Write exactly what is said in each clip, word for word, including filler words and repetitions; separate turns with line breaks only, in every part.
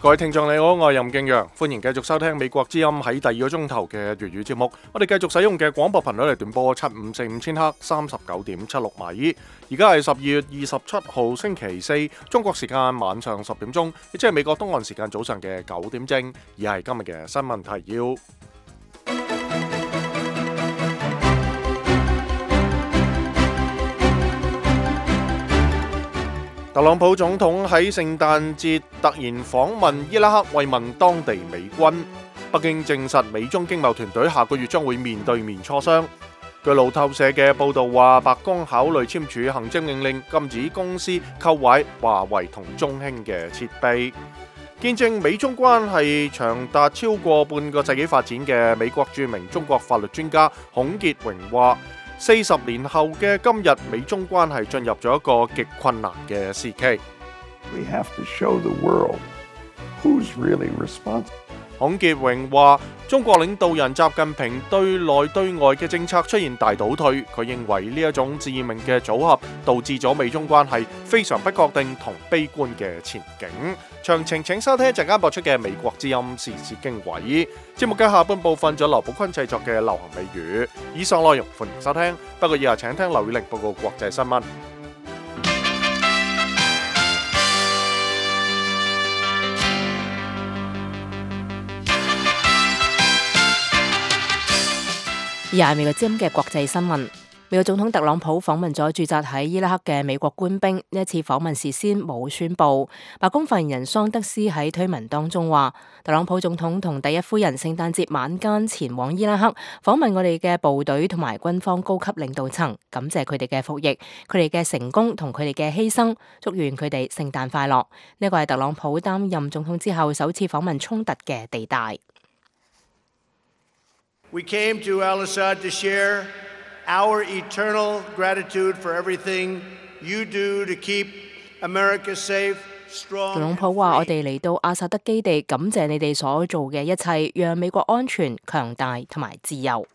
各位聽眾你好，我係任敬陽，歡迎繼續收聽美國之音喺第二個鐘頭嘅粵語節目。我哋繼續使用嘅廣播頻率嚟斷波七五四五千赫三十九點七六米。而家係十二月二十七號星期四，中國時間晚上十點鐘，亦即係美國東岸時間早上嘅九點正。而係今日嘅新聞提要。特朗普總統喺聖誕節突然訪問伊拉克慰問當地美軍。北京證實美中經貿團隊下個月將會面對面磋商。據路透社嘅報道話，白宮考慮簽署行政命令，禁止公司購買華為同中興嘅設備。見證美中關係長達超過半個世紀發展嘅美國著名中國法律專家孔傑榮話，四十年後嘅今日，美中關係進入咗一個極困難嘅時期。
We have to show the world who's really responsible.
孔傑榮話，中國領導人習近平對內對外嘅政策出現大倒退，佢認為呢一種致命嘅組合導致咗美中關係非常不確定同悲觀嘅前景。詳情請收聽一陣間播出嘅美國之音時事經緯。節目嘅下半部分咗劉寶坤製作嘅流行美語。以上內容歡迎收聽，不過以下請聽劉宇玲報告國際新聞。
而係美國之音嘅國際新聞，美國總統特朗普訪問咗駐紮喺伊拉克嘅美國官兵。呢一次訪問事先冇宣佈。白宮發言人桑德斯喺推文當中話，特朗普總統同第一夫人聖誕節晚間前往伊拉克訪問我哋嘅部隊同埋軍方高級領導層，感謝佢哋嘅服役、佢哋嘅成功同佢哋嘅犧牲，祝願佢哋聖誕快樂。呢個係特朗普擔任總統之後首次訪問衝突嘅地帶。
We came to Al-Assad to share our eternal gratitude for everything you do to keep America safe, strong.
特朗普話：我哋嚟到阿薩德基地，感謝你哋所做嘅一切，讓美國安全、強大同埋自由。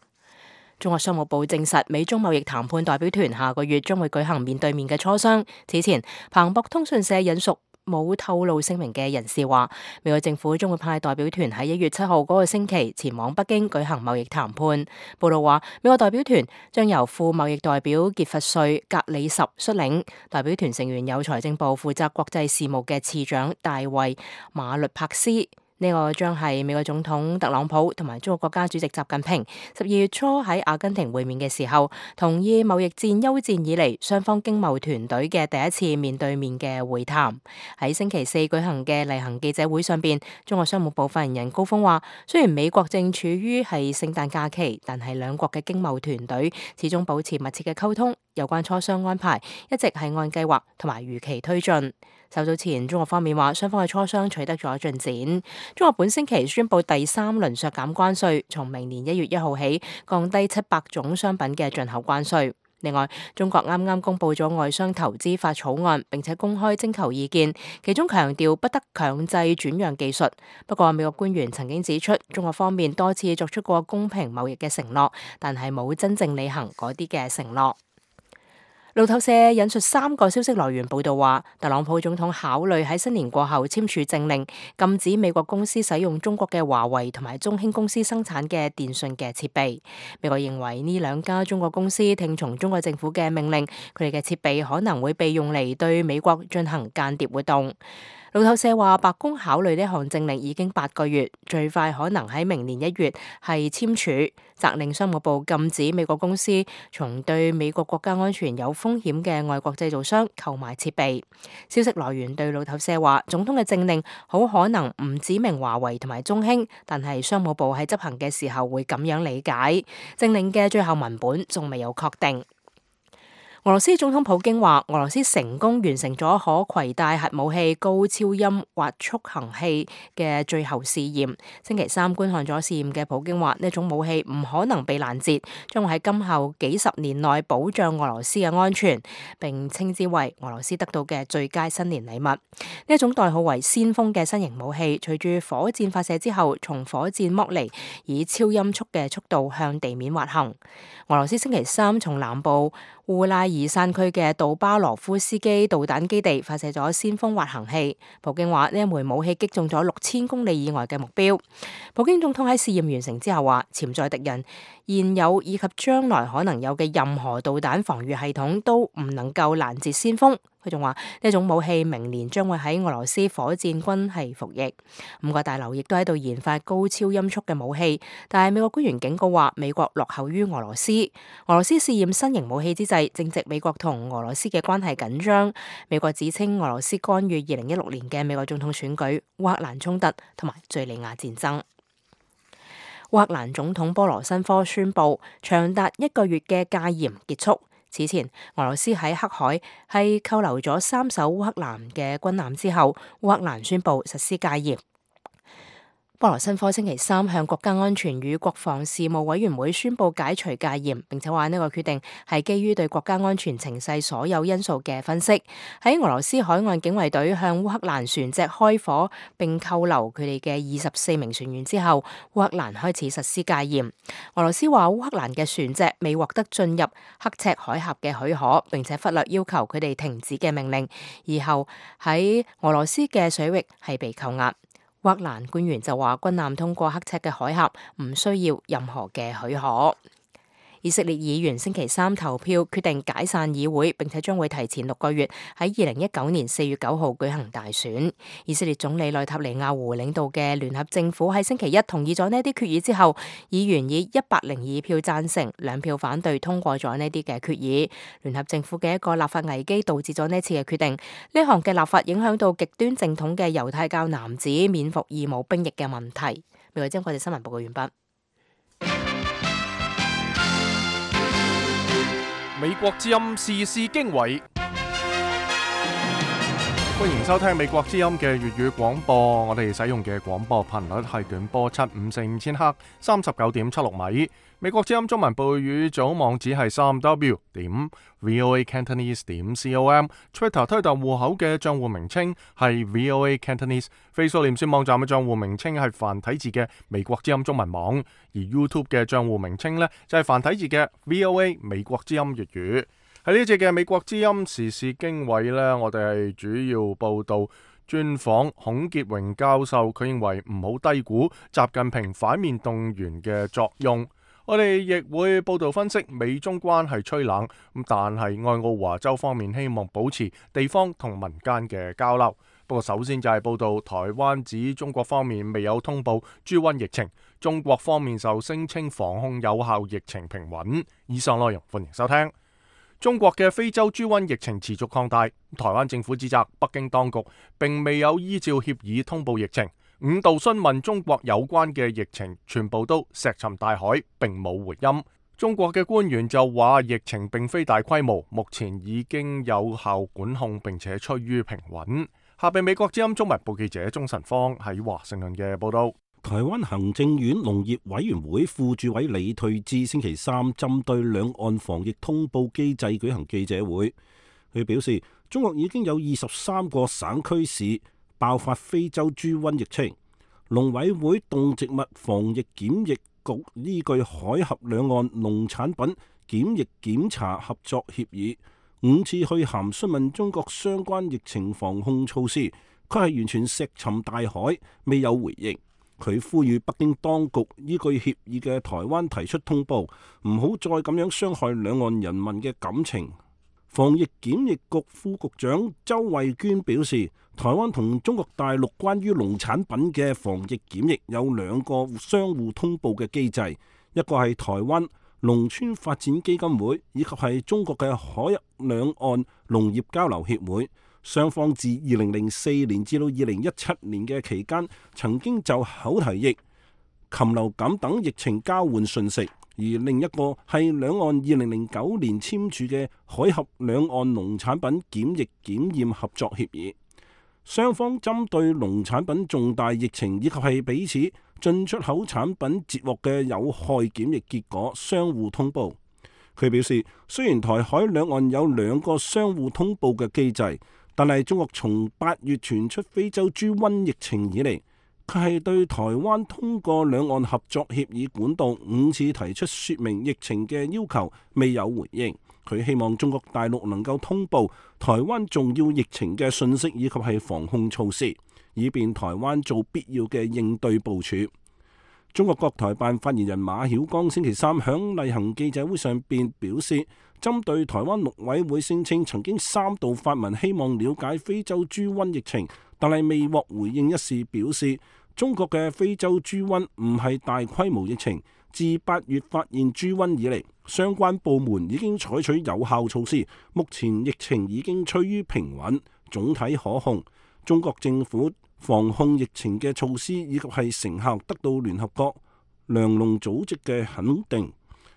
中國商務部證實，美中貿易談判代表團下個月將會舉行面對面嘅磋商。此前，彭博通訊社引述冇透露姓名嘅人士話，美國政府將會派代表團喺一月七號嗰個星期前往北京舉行貿易談判。報道話，美國代表團將由副貿易代表傑弗瑞格里什率領，代表團成員有財政部負責國際事務嘅次長大衛馬律帕斯。呢個將係美國總統特朗普同埋中國國家主席習近平十二月初喺阿根廷會面嘅時候，同意貿易戰休戰以嚟雙方經貿團隊嘅第一次面對面嘅會談。喺星期四舉行嘅例行記者會上邊，中國商務部發言人高峰話，雖然美國正處於係聖誕假期，但係兩國嘅經貿團隊始終保持密切嘅溝通，有關磋商安排一直係按計劃同埋如期推進。較早前，中國方面話雙方嘅磋商取得咗進展。中國本星期宣布第三輪削減關稅，從明年一月一號起降低七百種商品嘅進口關稅。另外，中國啱啱公布咗外商投資法草案，並且公開徵求意見，其中強調不得強制轉讓技術。不過，美國官員曾經指出，中國方面多次作出過公平貿易嘅承諾，但係冇真正履行嗰啲嘅承諾。路透社引述三個消息來源報道話，特朗普總統考慮喺新年過後簽署政令，禁止美國公司使用中國嘅華為同埋中興公司生產嘅電信嘅設備。美國認為呢兩家中國公司聽從中國政府嘅命令，佢哋嘅設備可能會被用嚟對美國進行間諜活動。路透社話，白宮考慮呢項政令已經八個月，最快可能喺明年一月係簽署，責令商務部禁止美國公司從對美國國家安全有風險嘅外國製造商購買設備。消息來源對路透社話，總統嘅政令好可能唔指明華為同埋中興，但係商務部喺執行嘅時候會咁樣理解。政令嘅最後文本仲未有確定。俄羅斯總統普京話，俄羅斯成功完成咗可攜帶核武器高超音滑速行器嘅最後試驗。星期三觀看咗試驗嘅普京話，呢種武器唔可能被攔截，將會喺今後幾十年內保障俄羅斯嘅安全，並稱之為俄羅斯得到嘅最佳新年禮物。呢一種代號為先鋒嘅新型武器，隨住火箭發射之後，從火箭剝離，以超音速嘅速度向地面滑行。俄羅斯星期三從南部烏拉爾山區嘅杜巴羅夫斯基導彈基地發射咗先鋒滑行器。普京話呢一枚武器擊中咗六千公里以外嘅目標。普京總統喺試驗完成之後話，潛在敵人現有以及將來可能有嘅任何導彈防禦系統都唔能夠攔截先鋒。佢仲話呢種武器明年將會喺俄羅斯火箭軍係服役。五角大樓亦都喺度研發高超音速嘅武器，但係美國官員警告話美國落後於俄羅斯。俄羅斯試驗新型武器之際，正值美國同俄羅斯嘅關係緊張。美國指稱俄羅斯干預二零一六年嘅美國總統選舉、烏克蘭衝突同埋敘利亞戰爭。烏克蘭總統波羅申科宣布長達一個月嘅戒嚴結束。此前，俄羅斯喺黑海係扣留咗三艘烏克蘭嘅軍艦之後，烏克蘭宣布實施戒嚴。波羅申科星期三向國家安全與國防事務委員會宣布解除戒嚴，並且話呢個決定係基於對國家安全情勢所有因素嘅分析。喺俄羅斯海岸警衛隊向烏克蘭船隻開火並扣留佢哋嘅二十四名船員之後，烏克蘭開始實施戒嚴。俄羅斯話烏克蘭嘅船隻未獲得進入刻赤海峽嘅許可，並且忽略要求佢哋停止嘅命令，而後喺俄羅斯嘅水域係被扣押。烏克蘭官員就話，軍艦通過刻赤嘅海峽唔需要任何嘅許可。以色列議員星期三投票決定解散議會，並且將會提前六個月喺二零一九年四月九號舉行大選。以色列總理內塔尼亞胡領導嘅聯合政府喺星期一同意咗呢啲決議之後，議員以一百零二票贊成、兩票反對通過咗呢啲嘅決議。聯合政府嘅一個立法危機導致咗呢次嘅決定。呢項嘅立法影響到極端正統嘅猶太教男子免服義務兵役嘅問題。未來將我哋新聞報告完畢。
美國之音時事經緯，歡迎收聽美國之音嘅粵語廣播。我哋使用嘅廣播頻率係短波七五四五千赫，三十九點七六米。美國之音中文部語組網址係三 w 點 voa cantonese 點 com。Twitter 推特戶口嘅賬戶名稱係 voa cantonese。Facebook 臉書網站嘅賬戶名稱係繁體字嘅美國之音中文網，而 YouTube 嘅賬戶名稱呢，就係繁體字嘅 voa 美國之音粵語。喺呢一節嘅美國之音時事經緯呢，我哋係主要報道專訪孔傑榮教授，佢認為唔好低估習近平反面動員嘅作用。我哋亦會報道分析美中關係趨冷，咁但係愛奧華州方面希望保持地方同民間嘅交流。不過首先就係報道台灣指中國方面未有通報豬瘟疫情，中國方面就聲稱防控有效，疫情平穩。以上內容歡迎收聽。中國嘅非洲豬瘟疫情持續擴大，台灣政府指責北京當局並未有依照協議通報疫情。五度詢問中國有關嘅疫情，全部都石沉大海，並冇回音。中國嘅官員就話疫情並非大規模，目前已經有效管控，並且趨於平穩。下邊美國之音中文部記者鍾晨芳喺華盛頓嘅報道。
台灣行政院農業委員會副主委李退智星期三針對兩岸防疫通報機制舉行記者會，佢表示中國已經有二十三個省區市爆發非洲豬瘟疫情，農委會動植物防疫檢疫局依據海峽兩岸農產品檢疫檢查合作協議，五次去函詢問中國相關疫情防控措施，佢係完全石沉大海，未有回應。佢呼籲北京當局依據協議嘅台灣提出通報，唔好再咁樣傷害兩岸人民嘅感情。防疫檢疫局副局長周慧娟表示，台灣同中國大陸關於農產品嘅防疫檢疫有兩個相互通報嘅機制，一個係台灣農村發展基金會，以及係中國嘅海峽兩岸農業交流協會。雙方自二零零四年至到二零一七年嘅期間，曾經就口蹄疫、禽流感等疫情交換信息。而另一個係兩岸二零零九年簽署嘅海峽兩岸農產品檢疫檢驗合作協議。雙方針對農產品重大疫情以及係彼此進出口產品截獲嘅有害檢疫結果相互通報。佢表示，雖然台海兩岸有兩個相互通報嘅機制，但係中國從八月傳出非洲豬瘟疫情以嚟，佢係對台灣通過兩岸合作協議管道五次提出說明疫情嘅要求未有回應。佢希望中國大陸能夠通報台灣重要疫情嘅信息以及係防控措施，以便台灣做必要嘅應對部署。中國國台辦發言人馬曉光星期三響例行記者會上邊表示，針對台灣陸委會聲稱曾經三度發文希望了解非洲豬瘟疫情，但係未獲回應一事，表示中國嘅非洲豬瘟唔係大規模疫情，自八月發現豬瘟以嚟，相關部門已經採取有效措施，目前疫情已經趨於平穩，總體可控。中國政府防控疫情嘅措施以及係成效得到聯合國糧農組織嘅肯定。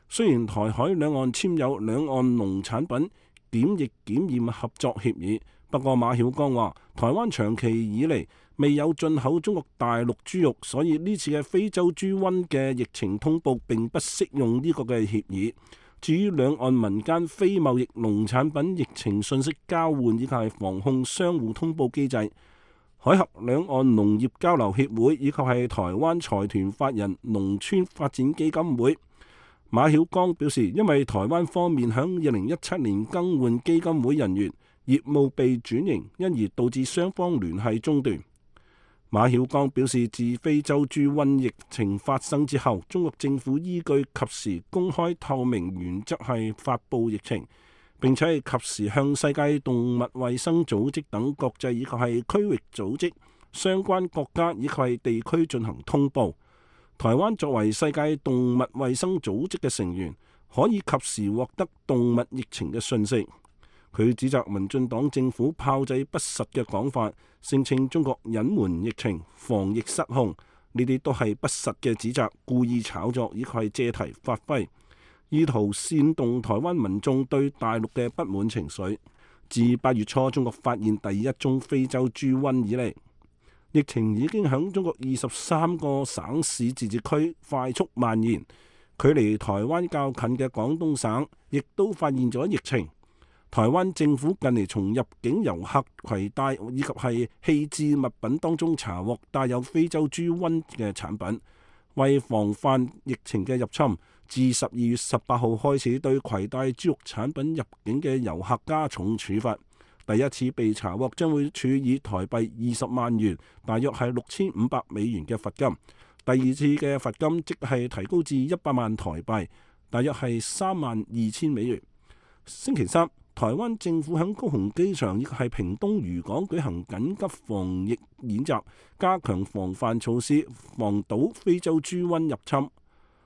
雖然台海兩岸簽有兩岸農產品檢疫檢驗合作協議，不過馬曉光話，台灣長期以嚟未有進口中國大陸豬肉，所以呢次嘅非洲豬瘟嘅疫情通報並不適用呢個嘅協議。至於兩岸民間非貿易農產品疫情信息交換以及係防控相互通報機制，海峽兩岸農業交流協會以及係台灣財團法人農村發展基金會，馬曉光表示，因為台灣方面響二零一七年更換基金會人員，業務被轉型，因而導致雙方聯繫中斷。馬曉光表示，自非洲豬瘟疫情發生之後，中國政府依據及時公開透明原則係發布疫情，並且係及時向世界動物衛生組織等國際以及係區域組織、相關國家以及係地區進行通報。台灣作為世界動物衛生組織嘅成員，可以及時獲得動物疫情嘅訊息。佢指責民進黨政府炮製不實嘅講法，聲稱中國隱瞞疫情、防疫失控，呢啲都係不實嘅指責，故意炒作，以及係借題發揮，意圖煽動台灣民眾對大陸嘅不滿情緒。自八月初中國發現第一宗非洲豬瘟以嚟，疫情已經響中國二十三個省市自治區快速蔓延，距離台灣較近嘅廣東省亦都發現咗疫情。台灣政府近嚟從入境遊客攜帶以及係棄置物品當中查獲帶有非洲豬瘟嘅產品，為防範疫情嘅入侵，自十二月十八號開始對攜帶豬肉產品入境嘅遊客加重處罰。第一次被查獲將會處以台幣二十萬元，大約係六千五百美元嘅罰金。第二次嘅罰金即係提高至一百萬台幣，大約係三萬二千美元。星期三，台灣政府喺高雄機場亦係屏東漁港舉行緊急防疫演習，加強防範措施，防堵非洲豬瘟入侵。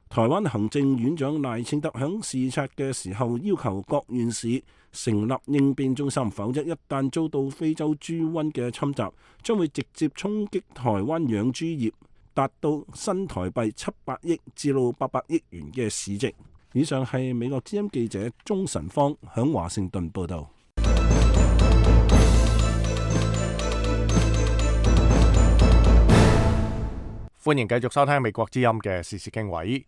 台灣行政院長賴清德喺視察嘅時候要求各縣市成立應變中心，否則一旦遭到非洲豬瘟嘅侵襲，將會直接衝擊台灣養豬業，達到新台幣七百億至到八百億元嘅市值。以上係美國之音記者鍾晨芳響華盛頓報道。
歡迎繼續收聽美國之音嘅時事經緯。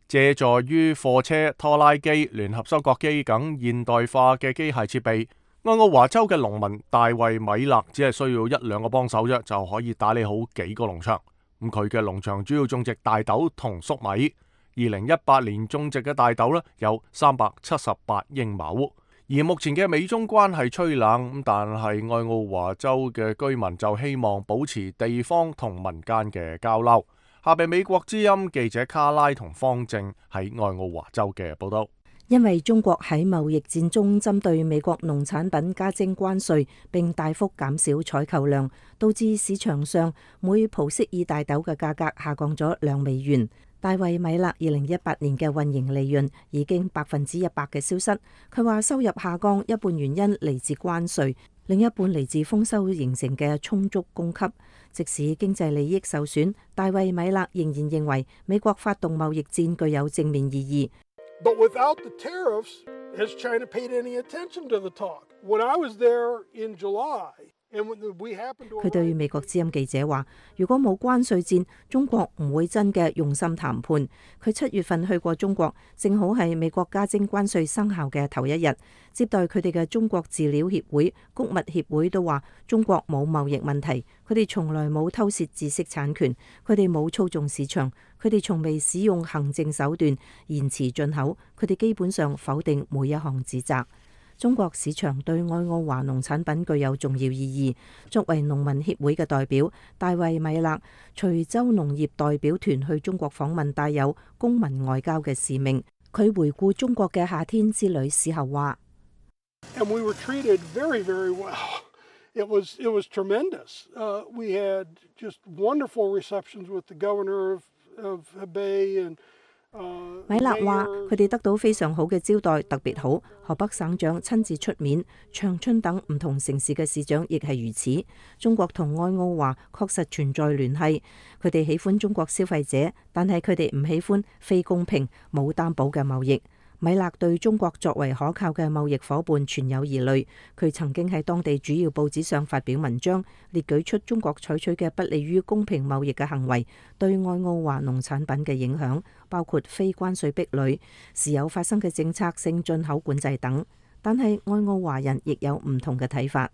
借助於貨車、拖拉機、聯合收割機等現代化嘅機械設備，愛奧華州嘅農民大衛米勒只係需要一兩個幫手啫，就可以打理好幾個農場。咁佢嘅農場主要種植大豆同粟米。二零一八年種植嘅大豆呢有三百七十八英畝。而目前嘅美中關係趨冷，但係愛奧華州嘅居民就希望保持地方同民間嘅交流。下邊美國之音記者卡拉同方正喺愛奧華州嘅報道。
因為中國喺貿易戰中針對美國農產品加徵關稅，並大幅減少採購量，導致市場上每蒲式爾大豆嘅價格下降咗兩美元。大衛米勒二零一八年嘅運營利潤已經百分之一百嘅消失。佢話收入下降一半原因嚟自關稅，另一半嚟自豐收形成嘅充足供給。即使經濟利益受損，大衛米勒仍然認為美國發動貿易戰具有正面意義。
But without the tariffs, has China paid any attention to the talk? When I was there in July,
佢對美國之音記者話：如果冇關稅戰，中國唔會真嘅用心談判。佢七月份去過中國，正好係美國加徵關稅生效嘅頭一日，接待佢哋嘅中國飼料協會、穀物協會都話中國冇貿易問題，佢哋從來冇偷竊知識產權，佢哋冇操縱市場，佢哋從未使用行政手段延遲進口，佢哋基本上否定每一項指責。中國市場對愛奧華農產品具有重要意義。作為農民協會嘅代表，大衛米勒隨州農業代表團去中國訪問，帶有公民外交嘅使命。佢回顧中國嘅夏天之旅時候話
：And we were treated very, very well. It was, it was tremendous. Uh, we had just wonderful receptions with the governor of, of Hebei and
米勒話：佢哋得到非常好嘅招待，特別好。河北省長親自出面，長春等唔同城市嘅市長亦係如此。中國同愛奧華確實存在聯繫，佢哋喜歡中國消費者，但係佢哋唔喜歡非公平、冇擔保嘅貿易。米勒對中國作為可靠嘅貿易夥伴存有疑慮，佢曾經喺當地主要報紙上發表文章，列舉出中國採取嘅不利於公平貿易嘅行為對愛奧華農產品嘅影響，包括非關稅壁壘、時有發生嘅政策性進口管制等。但係愛奧華人亦有唔同嘅睇法。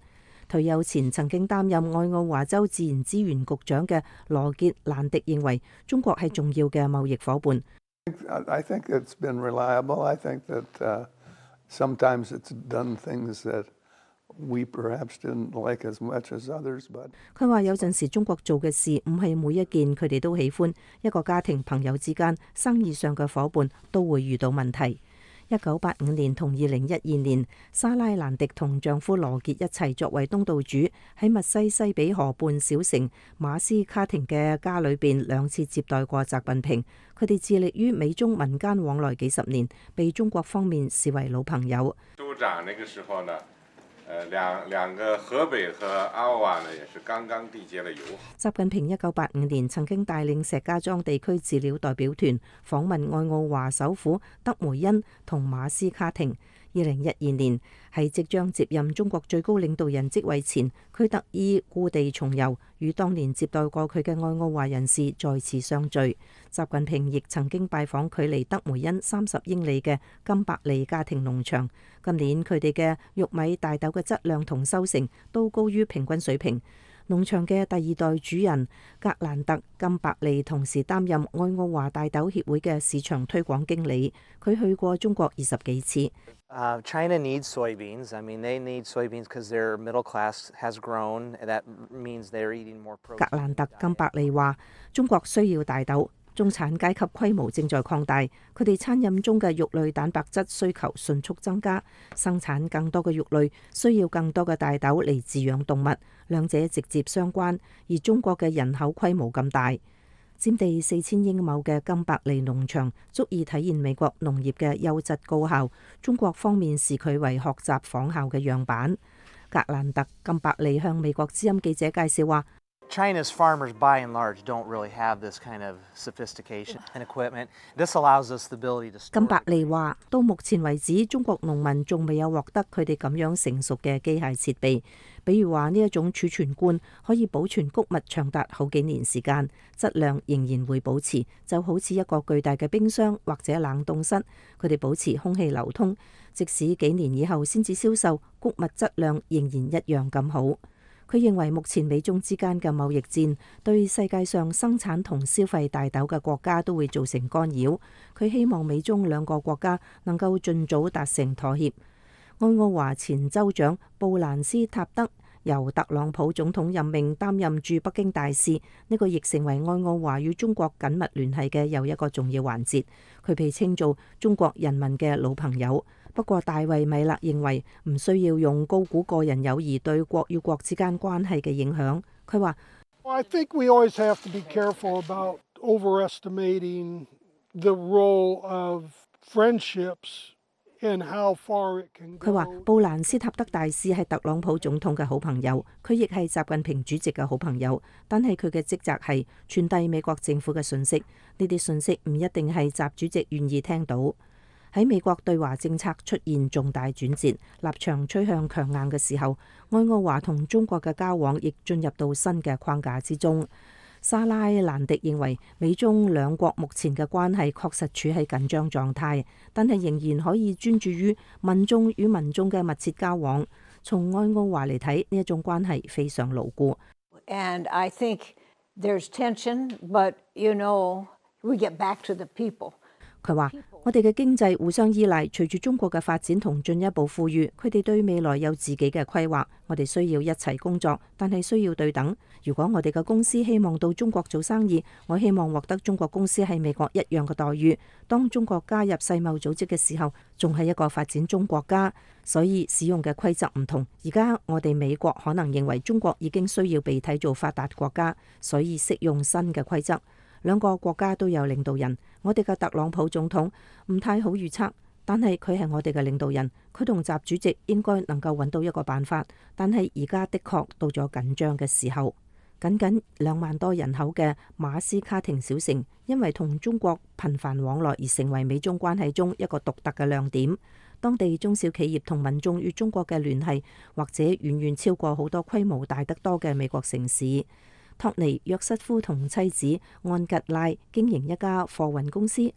退休前曾經擔任愛奧華州自然資源局長嘅羅傑蘭迪認為，中國係重要嘅貿易夥伴。
I think it's been reliable. I think that uh, sometimes it's done things that we perhaps didn't like as much as others. But
佢話有陣時中國做嘅事唔係每一件佢哋都喜歡，一個家庭朋友之間、生意上嘅夥伴都會遇到問題。一九八五年同二零一二年，莎拉蘭迪同丈夫羅傑一齊作為東道主，喺密西西比河畔小城馬斯卡廷嘅家裏邊兩次接待過習近平。佢哋致力於美中民間往來幾十年，被中國方面視為老朋友。
州長那個時候呢，呃，兩兩個河北和愛奧華呢，也是剛剛締結了友好。
習近平一九八五年曾經帶領石家莊地區飼料代表團訪問愛奧華首府德梅恩同馬斯卡廷。二零一二年喺即將接任中國最高領導人職位前，佢特意故地重遊，與當年接待過佢嘅愛奧華人士再次相聚。習近平亦曾經拜訪距離德梅恩三十英里嘅金伯利家庭農場。今年佢哋嘅玉米、大豆嘅質量同收成都高於平均水平。農場嘅第二代主人格蘭特金伯利同時擔任愛奧華大豆協會嘅市場推廣經理。佢去過中國二十幾次。
Uh, China needs soybeans. I mean, they need soybeans because their middle class has grown. That means they're eating more protein.
格蘭特金伯利話：中國需要大豆，中產階級規模正在擴大，佢哋餐飲中嘅肉類蛋白質需求迅速增加，生產更多嘅肉類需要更多嘅大豆嚟飼養動物，兩者直接相關。而中國嘅人口規模咁大，佔地四千英畝嘅金伯利農場足以體現美國農業嘅優質高效。中國方面視佢為學習仿效嘅樣板。格蘭特金伯利向美國之音記者介紹話
：China's farmers, by and large, don't really have this kind of sophistication and equipment. This allows us the ability to store.
金伯利話：到目前為止，中國農民仲未有獲得佢哋咁樣成熟嘅機械設備，比如話呢一種儲存罐可以保存穀物長達好幾年時間，質量仍然會保持，就好似一個巨大嘅冰箱或者冷凍室，佢哋保持空氣流通，即使幾年以後先至銷售，穀物質量仍然一樣咁好。佢認為目前美中之間嘅貿易戰對世界上生產同消費大豆嘅國家都會造成干擾。佢希望美中兩個國家能夠盡早達成妥協。愛奧華前州長布蘭斯塔德由特朗普總統任命擔任駐北京大使，呢個亦成為愛奧華與中國緊密聯繫嘅又一個重要環節。佢被稱做中國人民嘅老朋友。不過，大衛米勒認為唔需要用高估個人友誼對國與國之間關係嘅影響。佢話：
I think we always have to be careful about overestimating the role of friendships and how far it can go。佢話布蘭斯塔德大使係特朗普總統嘅好朋友，佢亦係習近平主席嘅好朋友，但係佢嘅職責係傳遞美國政府嘅信息。呢啲信息唔一定係習主席願意聽到。
喺美國對華政策出現重大轉折，立場趨向強硬嘅時候，愛奧華同中國嘅交往亦進入到新嘅框架之中。莎拉蘭迪認為，美中兩國目前嘅關係確實處喺緊張狀態，但係仍然可以專注於民眾與民眾嘅密切交往。從愛奧華嚟睇，呢一種關係非常牢固。
And I think there's tension, but you know, we get back to the people.
佢話：我哋嘅經濟互相依賴，隨住中國嘅發展同進一步富裕，佢哋對未來有自己嘅規劃。我哋需要一齊工作，但係需要對等。如果我哋嘅公司希望到中國做生意，我希望獲得中國公司喺美國一樣嘅待遇。當中國加入世貿組織嘅時候，仲係一個發展中國家，所以使用嘅規則唔同。而家我哋美國可能認為中國已經需要被睇做發達國家，所以適用新嘅規則。兩個國家都有領導人，我哋嘅特朗普總統唔太好預測，但係佢係我哋嘅領導人，佢同習主席應該能夠揾到一個辦法。但係而家的確到咗緊張嘅時候。僅僅兩萬多人口嘅馬斯卡廷小城，因為同中國頻繁往來而成為美中關係中一個獨特嘅亮點。當地中小企業同民眾與中國嘅聯繫，或者遠遠超過好多規模大得多嘅美國城市。托尼約瑟夫同妻子安吉拉經營一家貨運公司，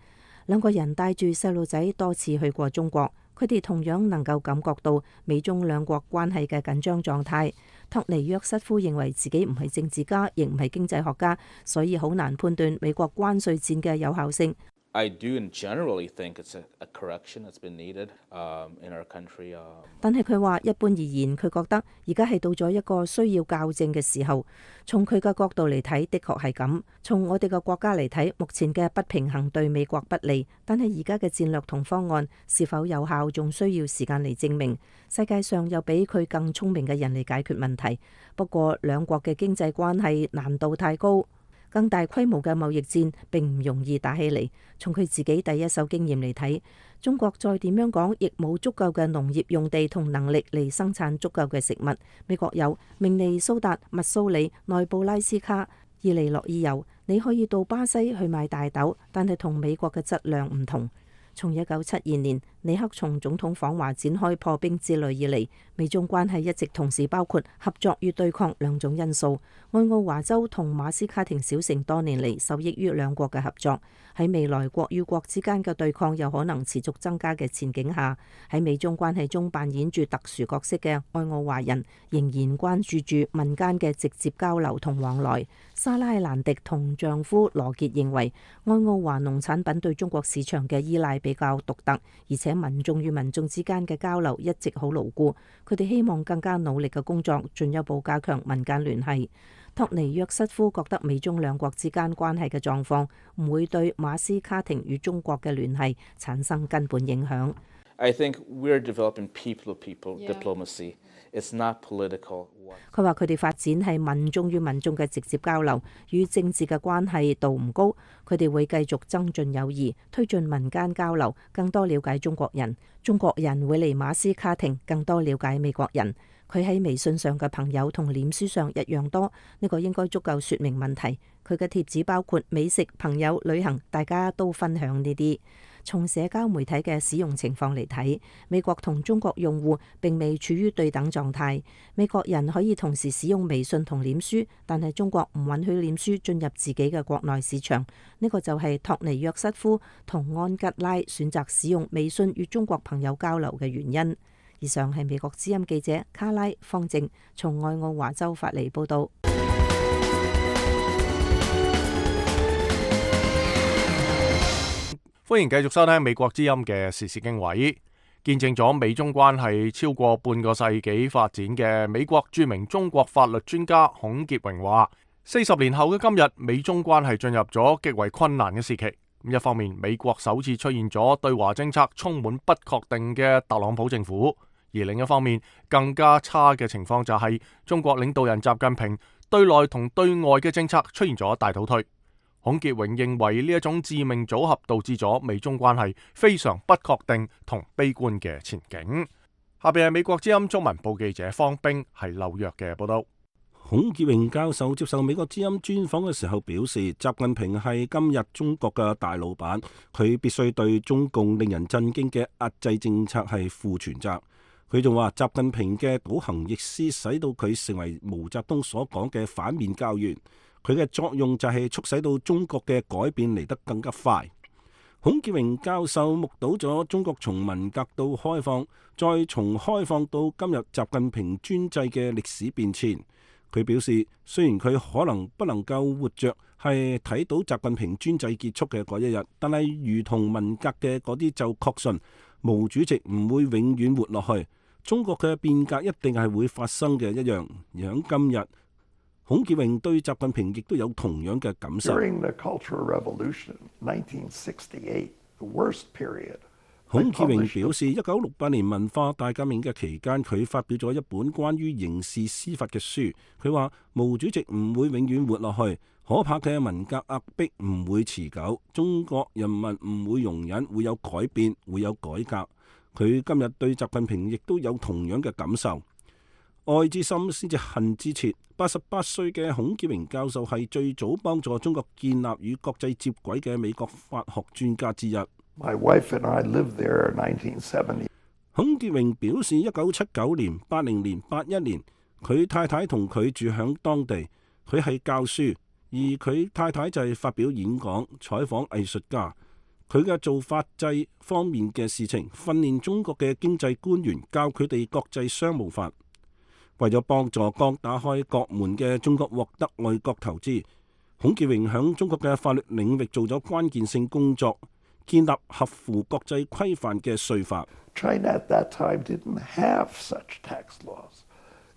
兩個人帶住細路仔多次去過中國，佢哋同樣能夠感覺到美中兩國關係嘅緊張狀態。托尼約瑟夫認為自己唔係政治家，亦唔係經濟學家，所以好難判斷美國關稅戰嘅有效性。
I do generally think it's a, a correction that's been needed um, in our country. Uh,
但係佢話一般而言，佢覺得而家係到咗一個需要校正嘅時候。從佢嘅角度嚟睇，的確係咁。從我哋嘅國家嚟睇，目前嘅不平衡對美國不利。但係而家嘅戰略同方案是否有效，仲需要時間嚟證明。世界上有比佢更聰明嘅人嚟解決問題。不過兩國嘅經濟關係難度太高。更大規模嘅貿易戰並唔容易打起嚟。從佢自己第一手經驗嚟睇，中國再點樣講，亦冇足夠嘅農業用地同能力嚟生產足夠嘅食物。美國有明尼蘇達、密蘇里、內布拉斯卡、伊利諾伊有，你可以到巴西去買大豆，但係同美國嘅質量唔同。從一九七二年尼克松總統訪華展開破冰之旅以嚟，美中關係一直同時包括合作與對抗兩種因素。愛奧華州同馬斯卡廷小城多年嚟受益於兩國嘅合作。喺未來國與國之間嘅對抗有可能持續增加嘅前景下，喺美中關係中扮演住特殊角色嘅愛奧華人仍然關注住民間嘅直接交流同往來。莎拉蘭迪同丈夫羅傑認為，愛奧華農產品對中國市場嘅依賴比較獨特，而且民眾與民眾之間嘅交流一直好牢固。佢哋希望更加努力嘅工作，進一步加強民間聯繫。托尼約瑟夫覺得美中兩國之間關係嘅狀況唔會對馬斯卡廷與中國嘅聯繫產生根本影響。
I think we're developing people-to-people diplomacy. It's not political.
佢話佢哋發展係民眾與民眾嘅直接交流，與政治嘅關係度唔高。佢哋會繼續增進友誼，推進民間交流，更多了解中國人。中國人會嚟馬斯卡廷更多了解美國人。佢喺微信上嘅朋友同臉書上一樣多，呢個應該足夠說明問題。佢嘅貼子包括美食、朋友、旅行，大家都分享呢啲。從社交媒體嘅使用情況嚟睇，美國同中國用戶並未處於對等狀態。美國人可以同時使用微信同臉書，但係中國唔允許臉書進入自己嘅國內市場。呢個就係托尼約瑟夫同安吉拉選擇使用微信與中國朋友交流嘅原因。以上係美國之音記者卡拉方正從愛奧華州發嚟報道。
歡迎繼續收聽美國之音嘅時事經緯。見證咗美中關係超過半個世紀發展嘅美國著名中國法律專家孔傑榮話：四十年後嘅今日，美中關係進入咗極為困難嘅時期。一方面，美國首次出現咗對華政策充滿不確定嘅特朗普政府。而另一方面，更加差嘅情況就係中國領導人習近平對內同對外嘅政策出現咗大倒退。孔傑榮認為呢一種致命組合導致咗美中關係非常不確定同悲觀嘅前景。下邊係美國之音中文部記者方冰喺紐約嘅報道。
孔潔榮教授接受美國之音專訪嘅時候表示，習近平係今日中國嘅大老闆，佢必須對中共令人震驚嘅壓制政策係負全責。佢仲話，習近平嘅倒行逆施使到佢成為毛澤東所講嘅反面教員，佢嘅作用就係促使到中國嘅改變嚟得更加快。孔潔榮教授目睹咗中國從文革到開放，再從開放到今日習近平專制嘅歷史變遷。佢表示，雖然佢可能不能夠活着係睇到習近平專制結束嘅嗰一日，但係如同文革嘅嗰啲就確信毛主席唔會永遠活落去，中國嘅變革一定係會發生嘅一樣。而喺今日，孔潔榮對習近平亦都有同樣嘅感受。
During the Cultural Revolution, nineteen sixty-eight, the worst period.
孔潔榮表示，一九六八年文化大革命嘅期間，佢發表咗一本關於刑事司法嘅書。佢話毛主席唔會永遠活落去，可怕嘅文革壓迫唔會持久，中國人民唔會容忍，會有改變，會有改革。佢今日對習近平亦都有同樣嘅感受。愛之深先至恨之切。八十八歲嘅孔潔榮教授係最早幫助中國建立與國際接軌嘅美國法學專家之一。
My wife and I lived there in nineteen seventy.
孔潔榮表示，一九七九年、八零年、八一年，佢太太同佢住響當地，佢係教書，而佢太太就係發表演講、採訪藝術家。佢嘅做法制方面嘅事情，訓練中國嘅經濟官員，教佢哋國際商務法。為咗幫助剛打開國門嘅中國獲得外國投資，孔潔榮響中國嘅法律領域做咗關鍵性工作。建立合乎國際規範嘅稅法。
China at that time didn't have such tax laws,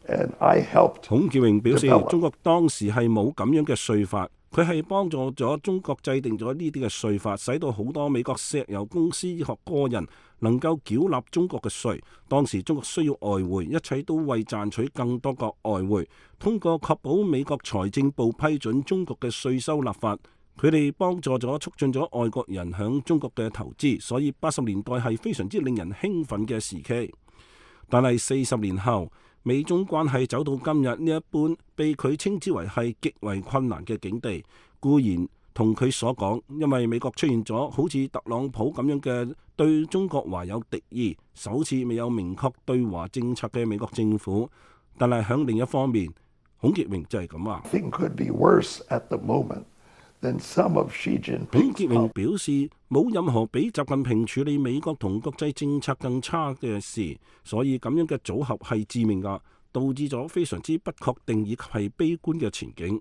and I helped.
孔潔榮表示，中國當時係冇咁樣嘅稅法，佢係幫助咗中國制定咗呢啲嘅稅法，使到好多美國石油公司及個人能夠繳納中國嘅稅。當時中國需要外匯，一切都為賺取更多個外匯，通過確保美國財政部批准中國嘅稅收立法。佢哋幫助咗促進咗外國人響中國嘅投資，所以八十年代係非常之令人興奮嘅時期。但係四十年後，美中關係走到今日呢一般，被佢稱之為係極為困難嘅境地。固然同佢所講，因為美國出現咗好似特朗普咁樣嘅對中國懷有敵意，首次未有明確對華政策嘅美國政府。但係響另一方面，孔潔榮就係咁話。
Then some of Xi Jinping.
孔潔榮表示，冇任何比習近平處理美國同國際政策更差嘅事，所以咁樣嘅組合係致命㗎，導致咗非常之不確定以及係悲觀嘅前景。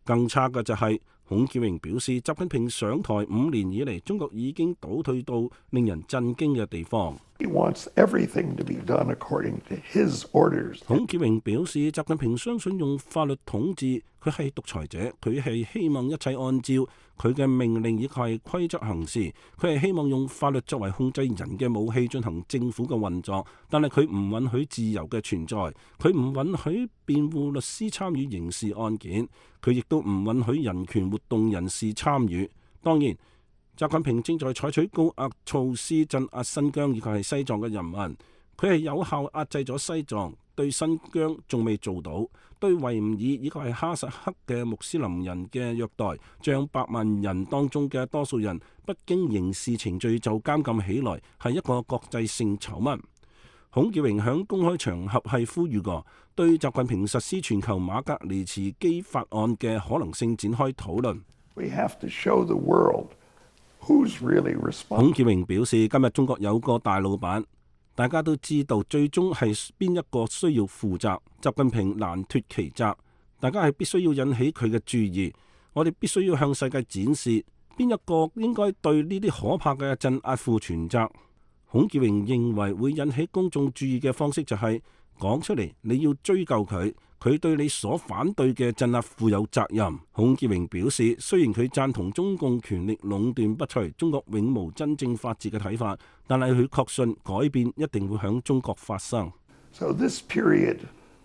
更差嘅就係、是、孔潔榮表示，習近平上台五年以嚟，中國已經倒退到令人震驚嘅地方。
He wants everything to be done according to his orders.
孔潔榮表示，習近平相信用法律統治，佢係獨裁者，佢係希望一切按照佢嘅命令以及係規則行事，佢係希望用法律作為控制人嘅武器進行政府嘅運作，但係佢唔允許自由嘅存在，佢唔允許辯護律師參與刑事案件，佢亦都唔允許人權活動人士參與。當然，習近平正在採取高壓措施鎮壓新疆以及係西藏嘅人民，佢係有效壓制咗西藏，對新疆仲未做到，對維吾爾以及係哈薩克嘅穆斯林人嘅虐待，將百萬人當中嘅多數人不經刑事程序就監禁起來，係一個國際性醜聞。孔潔榮喺公開場合係呼籲過，對習近平實施全球馬格尼茨基法案嘅可能性展開討論。
We have to show the world who's really responsible.
孔潔榮表示，今日中國有個大老闆，大家都知道最終係邊一個需要負責。習近平難脫其責，大家係必須要引起佢嘅注意。我哋必須要向世界展示邊一個應該對呢啲可怕嘅鎮壓負全責。孔潔榮認為會引起公眾注意嘅方式就係講出嚟，你要追究佢，佢對你所反對嘅鎮壓負有責任。孔潔榮表示，雖然佢贊同中共權力壟斷不除、中國永無真正法治嘅睇法，但係佢確信改變一定會響中國發生。
So this period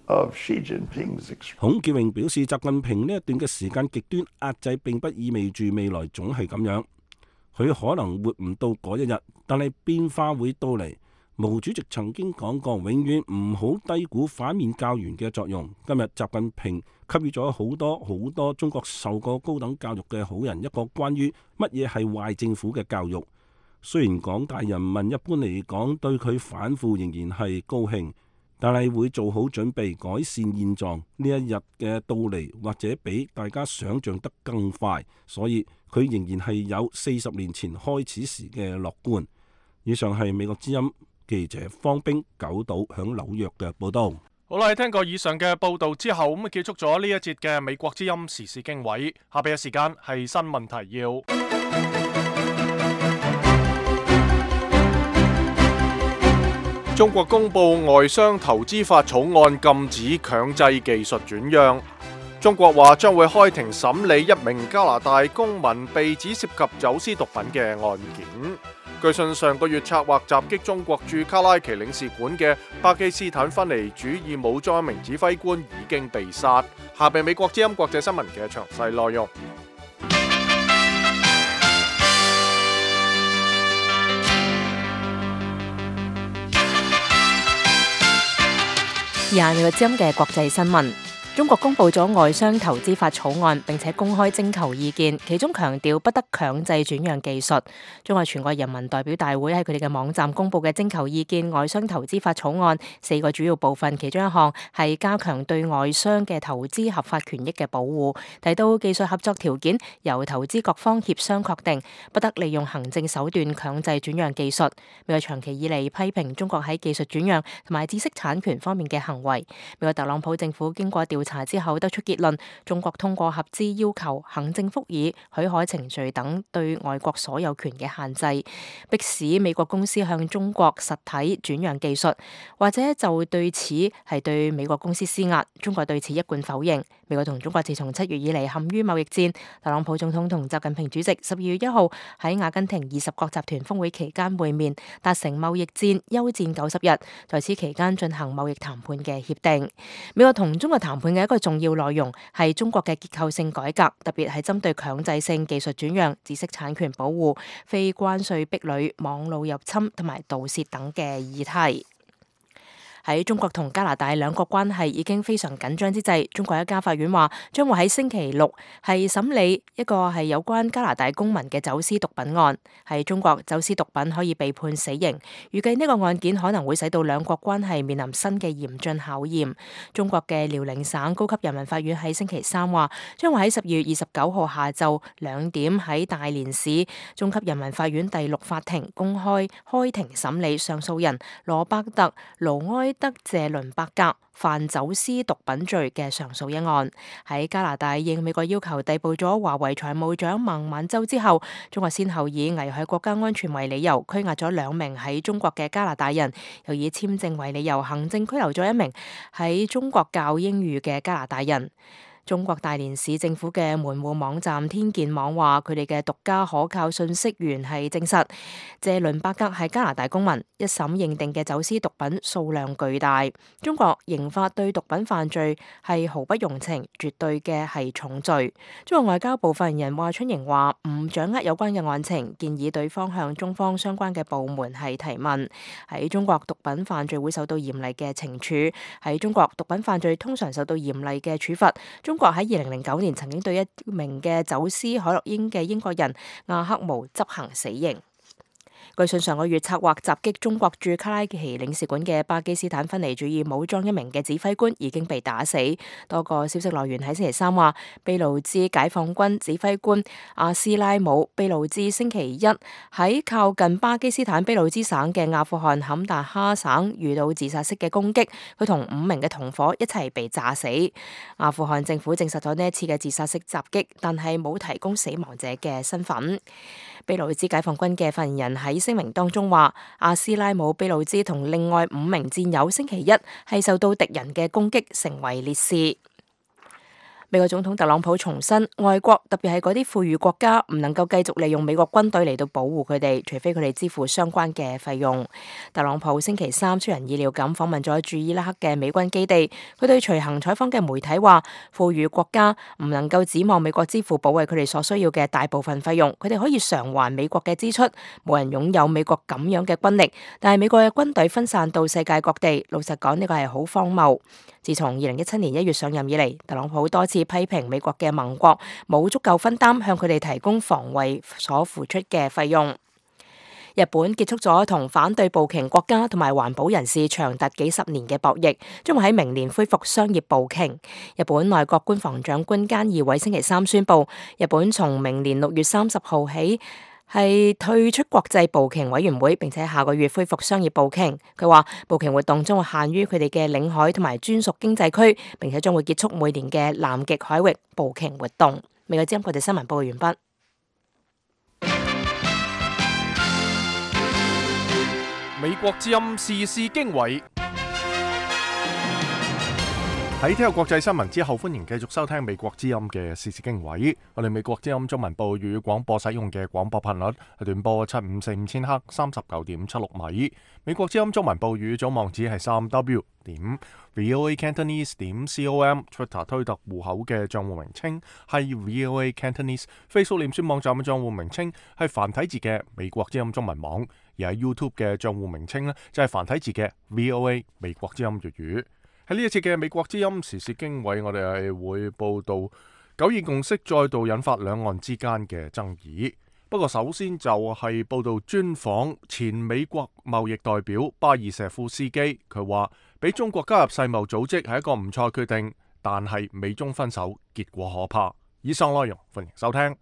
of Xi Jinping's...
孔潔榮表示，習近平呢一段嘅時間極端壓制並不意味住未來總係咁樣，佢可能活唔到嗰一日，但係變化會到嚟。毛主席曾經講過，永遠唔好低估反面教員嘅作用。今日習近平給予咗好多好多中國受過高等教育嘅好人一個關於乜嘢係壞政府嘅教育。雖然廣大人民一般嚟講對佢反腐仍然係高興，但係會做好準備改善現狀。呢一日嘅到嚟或者比大家想象得更快，所以佢仍然係有四十年前開始時嘅樂觀。以上係美國之音記者方冰九島響紐約嘅報道。
好啦，聽過以上嘅報道之後，咁啊結束咗呢一節嘅美國之音時事經緯。下邊嘅時間係新聞提要。中國公布外商投資法草案，禁止強制技術轉讓。中國話將會開庭審理一名加拿大公民被指涉及走私毒品嘅案件。據信上個月策劃襲擊中國駐卡拉奇領事館嘅巴基斯坦分離主義武裝一名指揮官已經被殺。下邊美國之音國際新聞嘅詳細內容。
廿美國之音嘅國際新聞。中國公布咗外商投資法草案，並且公開徵求意見，其中強調不得強制轉讓技術。中國全國人民代表大會喺佢哋嘅網站公布嘅徵求意見外商投資法草案四個主要部分，其中一項係加強對外商嘅投資合法權益嘅保護，提到技術合作條件由投資各方協商確定，不得利用行政手段強制轉讓技術。美國長期以嚟批評中國喺技術轉讓同埋知識產權方面嘅行為。美國特朗普政府經過調查之後得出結論，中國通過合資要求、行政復議、許可程序等對外國所有權嘅限制，迫使美國公司向中國實體轉讓技術，或者就對此係對美國公司施壓。中國對此一貫否認。美國同中國自從七月以嚟陷於貿易戰。特朗普總統同習近平主席十二月一號喺阿根廷二十國集團峰會期間會面，達成貿易戰休戰九十日，在此期間進行貿易談判嘅協定。美國同中國談判嘅一個重要內容係中國嘅結構性改革，特別係針對強制性技術轉讓、知識產權保護、非關稅壁壘、網絡入侵同埋盜竊等嘅議題。喺中國同加拿大兩國關係已經非常緊張之際，中國一家法院話將會喺星期六係審理一個係有關加拿大公民嘅走私毒品案。喺中國走私毒品可以被判死刑，預計呢個案件可能會使到兩國關係面臨新嘅嚴峻考驗。中國嘅遼寧省高級人民法院喺星期三話，將會喺十二月二十九號下晝兩點喺大連市中級人民法院第六法庭公開開庭審理上訴人羅伯特盧埃德謝倫伯格犯走私毒品罪嘅上訴一案。喺加拿大應美國要求逮捕咗華為財務長孟晚舟之後，中國先後以危害國家安全為理由拘押咗兩名喺中國嘅加拿大人，又以簽證為理由行政拘留咗一名喺中國教英語嘅加拿大人。中國大連市政府嘅門戶網站天健網話，佢哋嘅獨家可靠信息源係證實謝倫伯格係加拿大公民，一審認定嘅走私毒品數量巨大。中國刑法對毒品犯罪係毫不容情，絕對嘅係重罪。中國外交部發言人華春瑩話唔掌握有關嘅案情，建議對方向中方相關嘅部門係提問。喺中國毒品犯罪會受到嚴厲嘅懲處，喺中國毒品犯罪通常受到嚴厲嘅處罰。中中國喺二零零九年曾經對一名嘅走私海洛因嘅英國人阿克毛執行死刑。據信上個月策劃襲擊中國駐卡拉奇領事館嘅巴基斯坦分離主義武裝一名嘅指揮官已經被打死。多個消息來源喺星期三話，俾路支解放軍指揮官阿斯拉姆俾路支星期一喺靠近巴基斯坦俾路支省嘅阿富汗坎大哈省遇到自殺式嘅攻擊，佢同五名嘅同伙一齊被炸死。阿富汗政府證實咗呢一次嘅自殺式襲擊，但係冇提供死亡者嘅身份。俾路支解放軍嘅發言人喺聲明當中話，阿斯拉姆俾路支同另外五名戰友星期一係受到敵人嘅攻擊，成為烈士。美國總統特朗普重申，外國特別係嗰啲富裕國家唔能夠繼續利用美國軍隊嚟到保護佢哋，除非佢哋支付相關嘅費用。特朗普星期三出人意料咁訪問咗駐伊拉克嘅美軍基地，佢對隨行採訪嘅媒體話，富裕國家唔能夠指望美國支付保衛佢哋所需要嘅大部分費用，佢哋可以償還美國嘅支出。冇人擁有美國咁樣嘅軍力，但係美國嘅軍隊分散到世界各地，老實講呢個係好荒謬。自從二零一七年一月上任以嚟，特朗普多次批評美國嘅盟國冇足夠分擔向佢哋提供防衛所付出嘅費用。日本結束咗同反對捕鯨國家同埋環保人士長達幾十年嘅博弈，將會喺明年恢復商業捕鯨。日本內閣官房長官菅義偉星期三宣布，日本從明年六月三十號起係退出國際捕鯨委員會，並且下個月恢復商業捕鯨。佢話捕鯨活動將會限於佢哋嘅領海同埋專屬經濟區，並且將會結束每年嘅南極海域捕鯨活動。美國之音國際新聞報告完畢。
美國之音時事經緯。喺聽日國際新聞之後，歡迎繼續收聽美國之音嘅時事經緯。我哋美國之音中文部粵語廣播使用嘅廣播頻率係短波七五四五千赫，三十九點七六米。美國之音中文部粵語總網址係三 w 點 voa cantonese 點 com。Twitter 推特戶口嘅賬戶名稱係 voa cantonese。Facebook 臉書網站嘅賬戶名稱係繁體字嘅美國之音中文網。而喺 YouTube 嘅賬戶名稱呢，就係繁體字嘅 voa 美國之音粵語。喺呢一次嘅美國之音時事經緯，我哋係會報道九二共識再度引發兩岸之間嘅爭議。不過首先就係報道專訪前美國貿易代表巴爾舍夫斯基，佢話俾中國加入世貿組織係一個唔錯決定，但係美中分手結果可怕。以上內容歡迎收聽。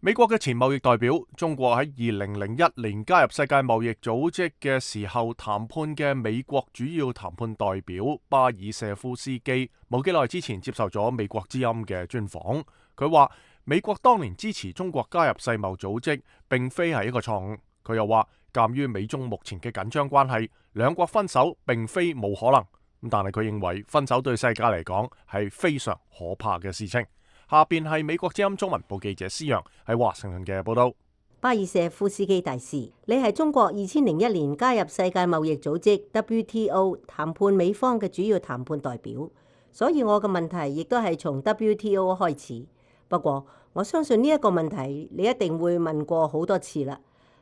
美國嘅前貿易代表，中國喺二零零一年加入世界貿易組織嘅時候談判嘅美國主要談判代表巴爾舍夫斯基，冇幾耐之前接受咗美國之音嘅專訪。佢話美國當年支持中國加入世貿組織，並非係一個錯誤。佢又話，鑒於美中目前嘅緊張關係，兩國分手並非冇可能。咁但係佢認為分手對世界嚟講係非常可怕嘅事情。下邊係美國之音中文部記者施陽喺華盛頓嘅報道。
巴爾舍夫斯基大使，你係中國二千零一年加入世界貿易組織 W T O 談判美方嘅主要談判代表，所以我嘅問題亦都係從 W T O 開始。不過我相信呢一個問題你一定會問過好多次啦。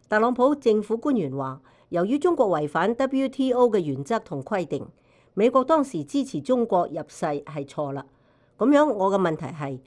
特朗普政府官員話，由於中國違反 W T O 嘅原則同規定，美國當時支持中國入世係錯啦。咁樣我嘅問題係，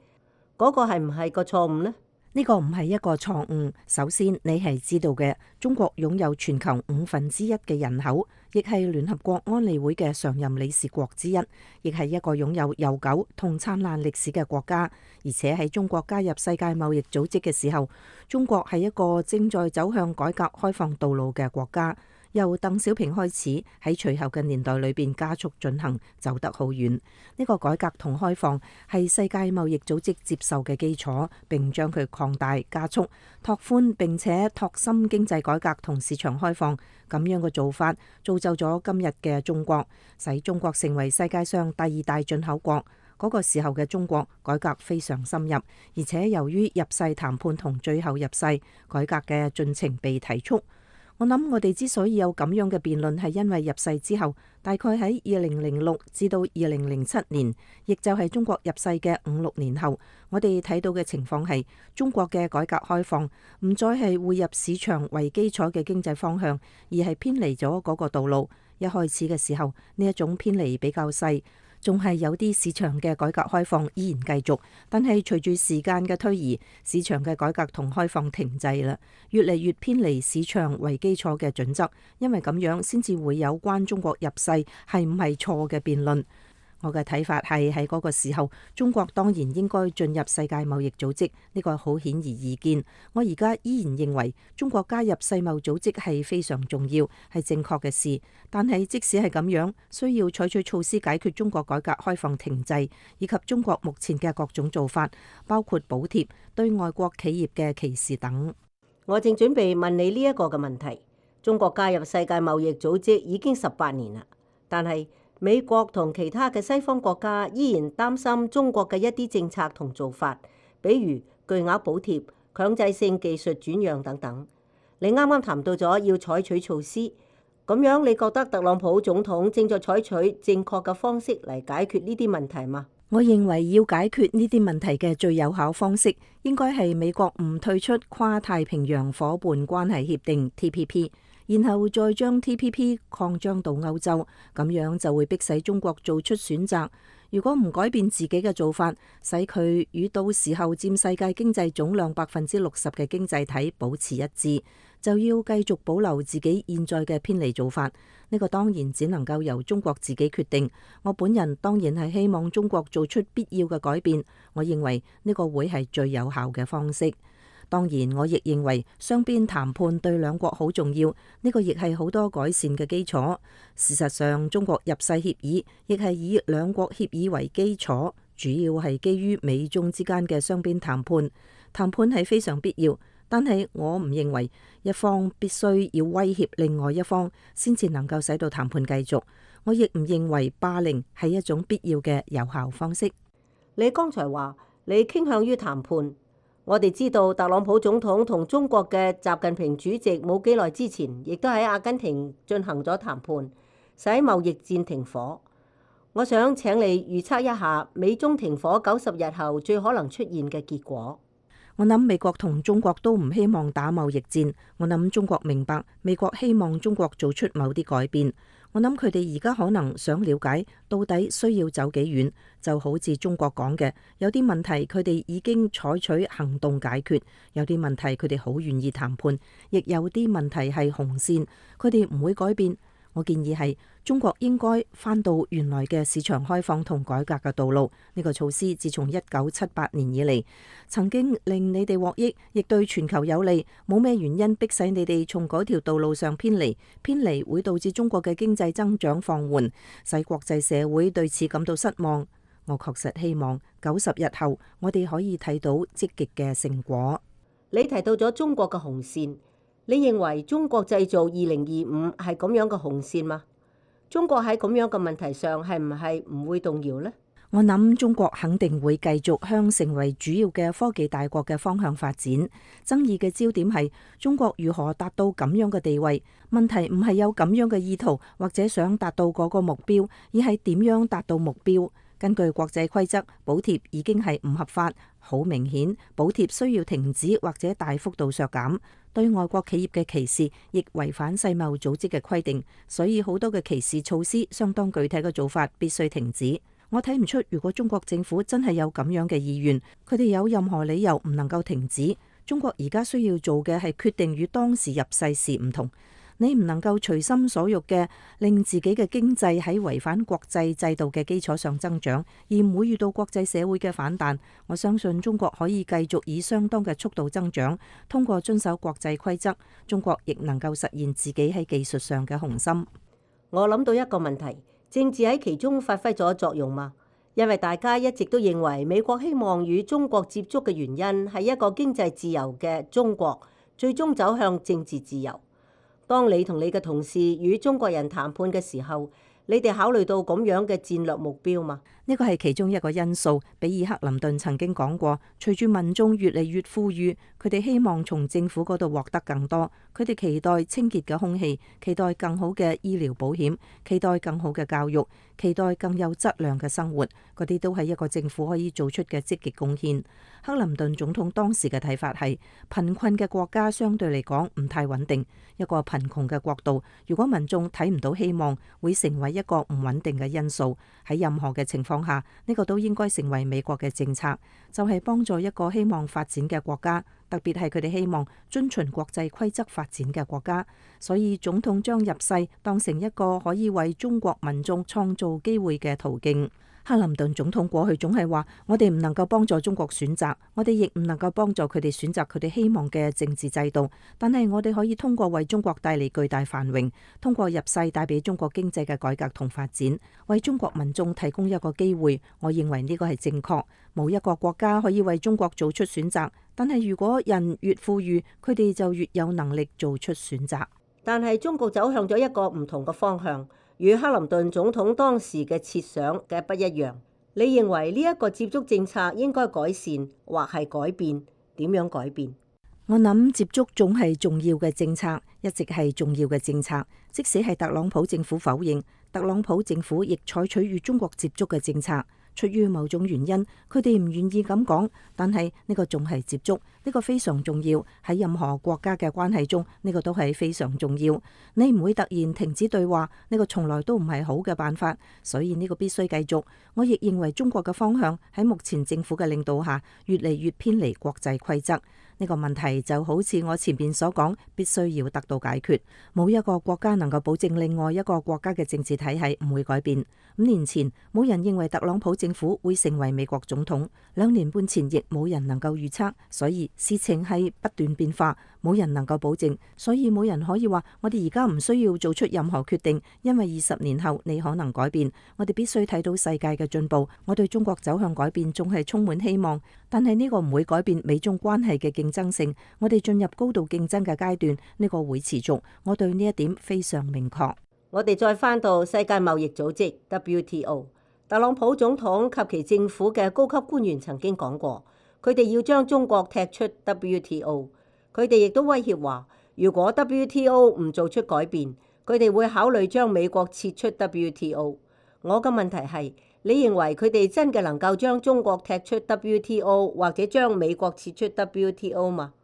嗰個係唔係個錯誤呢？
呢個唔係一個錯誤。首先，你係知道嘅，中國擁有全球五分之一嘅人口，亦係聯合國安理會嘅常任理事國之一，亦係一個擁有悠久同燦爛歷史嘅國家。而且喺中國加入世界貿易組織嘅時候，中國係一個正在走向改革開放道路嘅國家。由鄧小平開始，喺隨後嘅年代裏邊加速進行，走得好遠。呢個改革同開放係世界貿易組織接受嘅基礎，並將佢擴大、加速、拓寬，並且拓深經濟改革同市場開放。咁樣嘅做法造就咗今日嘅中國，使中國成為世界上第二大進口國。嗰個時候嘅中國改革非常深入，而且由於入世談判同最後入世改革嘅進程被提速。我諗我哋之所以有咁樣嘅辯論，係因為入世之後，大概喺二零零六至到二零零七年，亦就係中國入世嘅五六年後，我哋睇到嘅情況係中國嘅改革開放唔再係匯入市場為基礎嘅經濟方向，而係偏離咗嗰個道路。一開始嘅時候，呢一種偏離比較細。仲係有啲市場嘅改革開放依然繼續，但係隨住時間嘅推移，市場嘅改革同開放停滯啦，越嚟越偏離市場為基礎嘅準則，因為咁樣先至會有關中國入世係唔係錯嘅辯論。我嘅睇法係喺嗰個時候，中國當然應該進入世界貿易組織，呢個好顯而易見。我而家依然認為中國加入世貿組織係非常重要，係正確嘅事。但係即使係咁樣，需要採取措施解決中國改革開放停滯，以及中國目前嘅各種做法，包括補貼、對外國企業嘅歧視等。
我正準備問你呢一個嘅問題。中國加入世界貿易組織已經十八年啦，但係美國同其他嘅西方國家依然擔心中國嘅一啲政策同做法，比如巨額補貼、強制性技術轉讓等等。你啱啱談到咗要採取措施，咁樣你覺得特朗普總統正在採取正確嘅方式嚟解決呢啲問題嗎？
我認為要解決呢啲問題嘅最有效方式，應該係美國唔退出跨太平洋夥伴關係協定 T P P， 然後再將 T P P 擴張到歐洲，咁樣就會迫使中國做出選擇。如果唔改變自己嘅做法，使佢與到時候佔世界經濟總量百分之六十嘅經濟體保持一致，就要繼續保留自己現在嘅偏離做法。呢個當然只能夠由中國自己決定。我本人當然係希望中國做出必要嘅改變。我認為呢個會係最有效嘅方式。當然，我亦認為雙邊談判對兩國好重要，呢個亦係好多改善嘅基礎。事實上，中國入世協議亦係以兩國協議為基礎，主要係基於美中之間嘅雙邊談判。談判係非常必要，但係我唔認為一方必須要威脅另外一方先至能夠使到談判繼續。我亦唔認為霸凌係一種必要嘅有效方式。
你剛才話你傾向於談判。我哋知道特朗普總統同中國嘅習近平主席冇幾耐之前，亦都喺阿根廷進行咗談判，使貿易戰停火。我想請你預測一下美中停火九十日後最可能出現嘅結果。
我諗美國同中國都唔希望打貿易戰。我諗中國明白美國希望中國做出某啲改變。我諗佢哋而家可能想了解到底需要走幾遠，就好似中國講嘅，有啲問題佢哋已經採取行動解決，有啲問題佢哋好願意談判，亦有啲問題係紅線，佢哋唔會改變。我建議係中國應該返到原來嘅市場開放同改革嘅道路。呢個措施自從一九七八年以嚟，曾經令你哋獲益，亦對全球有利。冇咩原因迫使你哋從嗰條道路上偏離。偏離會導致中國嘅經濟增長放緩，使國際社會對此感到失望。我確實希望九十日後我哋可以睇到積極嘅成果。
你提到咗中國嘅紅線。你認為中國製造二零二五係咁樣嘅紅線嗎？中國喺咁樣嘅問題上係唔係唔會動搖呢？
我諗中國肯定會繼續向成為主要嘅科技大國嘅方向發展。爭議嘅焦點係中國如何達到咁樣嘅地位。問題唔係有咁樣嘅意圖或者想達到嗰個目標，而係點樣達到目標。根據國際規則，補貼已經係唔合法，好明顯，補貼需要停止或者大幅度削減。對外國企業嘅歧視亦違反世貿組織嘅規定，所以好多嘅歧視措施相當具體嘅做法必須停止。我睇唔出，如果中國政府真係有咁樣嘅意願，佢哋有任何理由唔能夠停止。中國而家需要做嘅係決定與當時入世時唔同。你唔能夠隨心所欲嘅令自己嘅經濟喺違反國際制度嘅基礎上增長，而唔會遇到國際社會嘅反彈。我相信中國可以繼續以相當嘅速度增長，通過遵守國際規則，中國亦能夠實現自己喺技術上嘅雄心。
我諗到一個問題，政治喺其中發揮咗作用嗎？因為大家一直都認為美國希望與中國接觸嘅原因係一個經濟自由嘅中國最終走向政治自由。當你同你嘅同事與中國人談判嘅時候，你哋考慮到咁樣嘅戰略目標嗎？
呢個係其中一個因素。比爾克林頓曾經講過，隨住民眾越嚟越富裕，佢哋希望從政府嗰度獲得更多。佢哋期待清潔嘅空氣，期待更好嘅醫療保險，期待更好嘅教育，期待更有質量嘅生活。嗰啲都係一個政府可以做出嘅積極貢獻。克林頓總統當時嘅睇法係，貧困嘅國家相對嚟講唔太穩定。一個貧窮嘅國度，如果民眾睇唔到希望，會成為一個唔穩定嘅因素。喺任何嘅情況下，呢個都應該成為美國嘅政策，就係幫助一個希望發展嘅國家，特別係佢哋希望遵循國際規則發展嘅國家。所以總統將入世當成一個可以為中國民眾創造機會嘅途徑。克林頓總統過去總係話，我哋唔能夠幫助中國選擇，我哋亦唔能夠幫助佢哋選擇佢哋希望嘅政治制度，但係我哋可以通過為中國帶嚟巨大繁榮，通過入世帶俾中國經濟嘅改革同發展，為中國民眾提供一個機會。我認為呢個係正確。冇一個國家可以為中國做出選擇，但係如果人越富裕，佢哋就越有能力做出選擇。
但係中國走向咗一個唔同嘅方向。與克林頓總統當時嘅設想嘅不一樣。你認為呢一個接觸政策應該改善或係改變？點樣改變？
我諗接觸總係重要嘅政策，一直係重要嘅政策。即使係特朗普政府否認，特朗普政府亦採取與中國接觸嘅政策。出於某種原因，佢哋唔願意咁講，但係呢個仲係接觸，呢個非常重要。喺任何國家嘅關係中，呢個都係非常重要。你唔會突然停止對話，呢個從來都唔係好嘅辦法，所以呢個必須繼續。我亦認為中國嘅方向喺目前政府嘅領導下，越嚟越偏離國際規則。呢個問題就好似我前面所講，必須要得到解決。冇一個國家能夠保證另外一個國家嘅政治體系唔會改變。五年前冇人認為特朗普政府會成為美國總統，兩年半前亦冇人能夠預測，所以事情係不斷變化，冇人能夠保證，所以冇人可以話我哋而家唔需要做出任何決定，因為二十年後你可能改變。我哋必須睇到世界嘅進步，我對中國走向改變仲係充滿希望，但係呢個唔會改變美中關係嘅競爭性。我哋進入高度競爭嘅階段，呢個會持續，我對呢一點非常明確。
我哋再翻到世界貿易組織 W T O， 特朗普總統及其政府嘅高級官員曾經講過，佢哋要將中國踢出 W T O。佢哋亦都威脅話，如果 W T O 唔做出改變，佢哋會考慮將美國撤出 W T O。我嘅問題係，你認為佢哋真嘅能夠將中國踢出 W T O， 或者將美國撤出 W T O 嗎？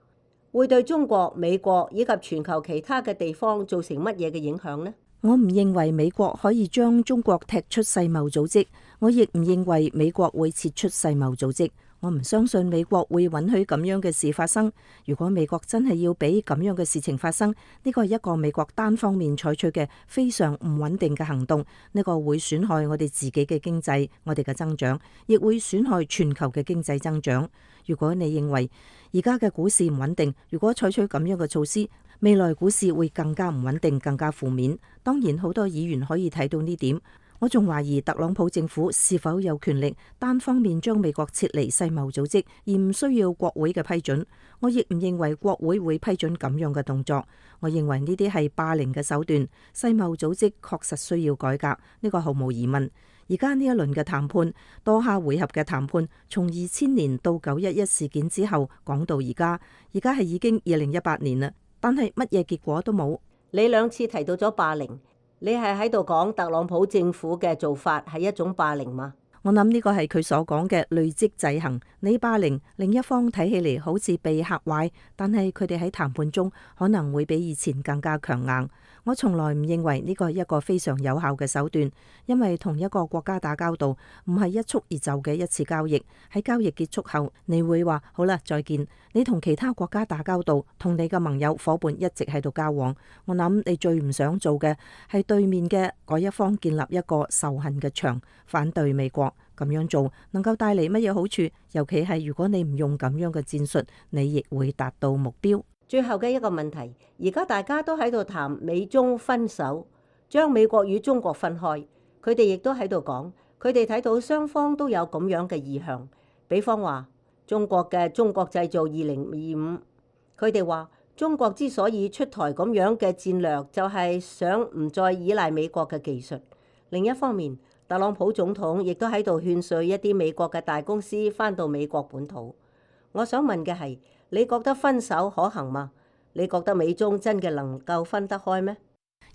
會對中國、美國以及全球其他嘅地方造成乜嘢嘅影響呢？
我唔認為美國可以將中國踢出世貿組織，我亦唔認為美國會撤出世貿組織。我唔相信美國會允許咁樣嘅事發生。如果美國真係要俾咁樣嘅事情發生，呢個係一個美國單方面採取嘅非常唔穩定嘅行動。呢個會損害我哋自己嘅經濟，我哋嘅增長，亦會損害全球嘅經濟增長。如果你認為而家嘅股市唔穩定，如果採取咁樣嘅措施，未來股市會更加唔穩定，更加負面。當然，好多議員可以睇到呢點。我仲懷疑特朗普政府是否有權力單方面將美國撤離世貿組織，而唔需要國會嘅批准。我亦唔認為國會會批准咁樣嘅動作。我認為呢啲係霸凌嘅手段。世貿組織確實需要改革，呢個毫無疑問。而家呢一輪嘅談判，多下回合嘅談判，從二千年到九一一事件之後講到而家，而家係已經二零一八年啦，但係乜嘢結果都冇。
你兩次提到咗霸凌。你係喺度講特朗普政府嘅做法係一種霸凌嗎？
我諗呢個係佢所講嘅累積制衡。你霸凌另一方睇起嚟好似被嚇壞，但係佢哋喺談判中可能會比以前更加強硬。我從來唔認為呢個係一個非常有效嘅手段，因為同一個國家打交道唔係一蹴而就嘅一次交易。喺交易結束後，你會話好啦，再見。你同其他國家打交道，同你嘅盟友伙伴一直喺度交往。我諗你最唔想做嘅係對面嘅嗰一方建立一個仇恨嘅牆，反對美國。咁樣做能夠帶嚟乜嘢好處？尤其係如果你唔用咁樣嘅戰術，你亦會達到目標。
最後嘅一個問題，而家大家都喺度談美中分手，將美國與中國分開。佢哋亦都喺度講，佢哋睇到雙方都有咁樣嘅意向。比方話中國嘅中國製造二零二五，佢哋話中國之所以出台咁樣嘅戰略，就係想唔再依賴美國嘅技術。另一方面，特朗普總統亦都喺度勸說一啲美國嘅大公司返到美國本土。我想問嘅係，你覺得分手可行嗎？你覺得美中真嘅能夠分得開咩？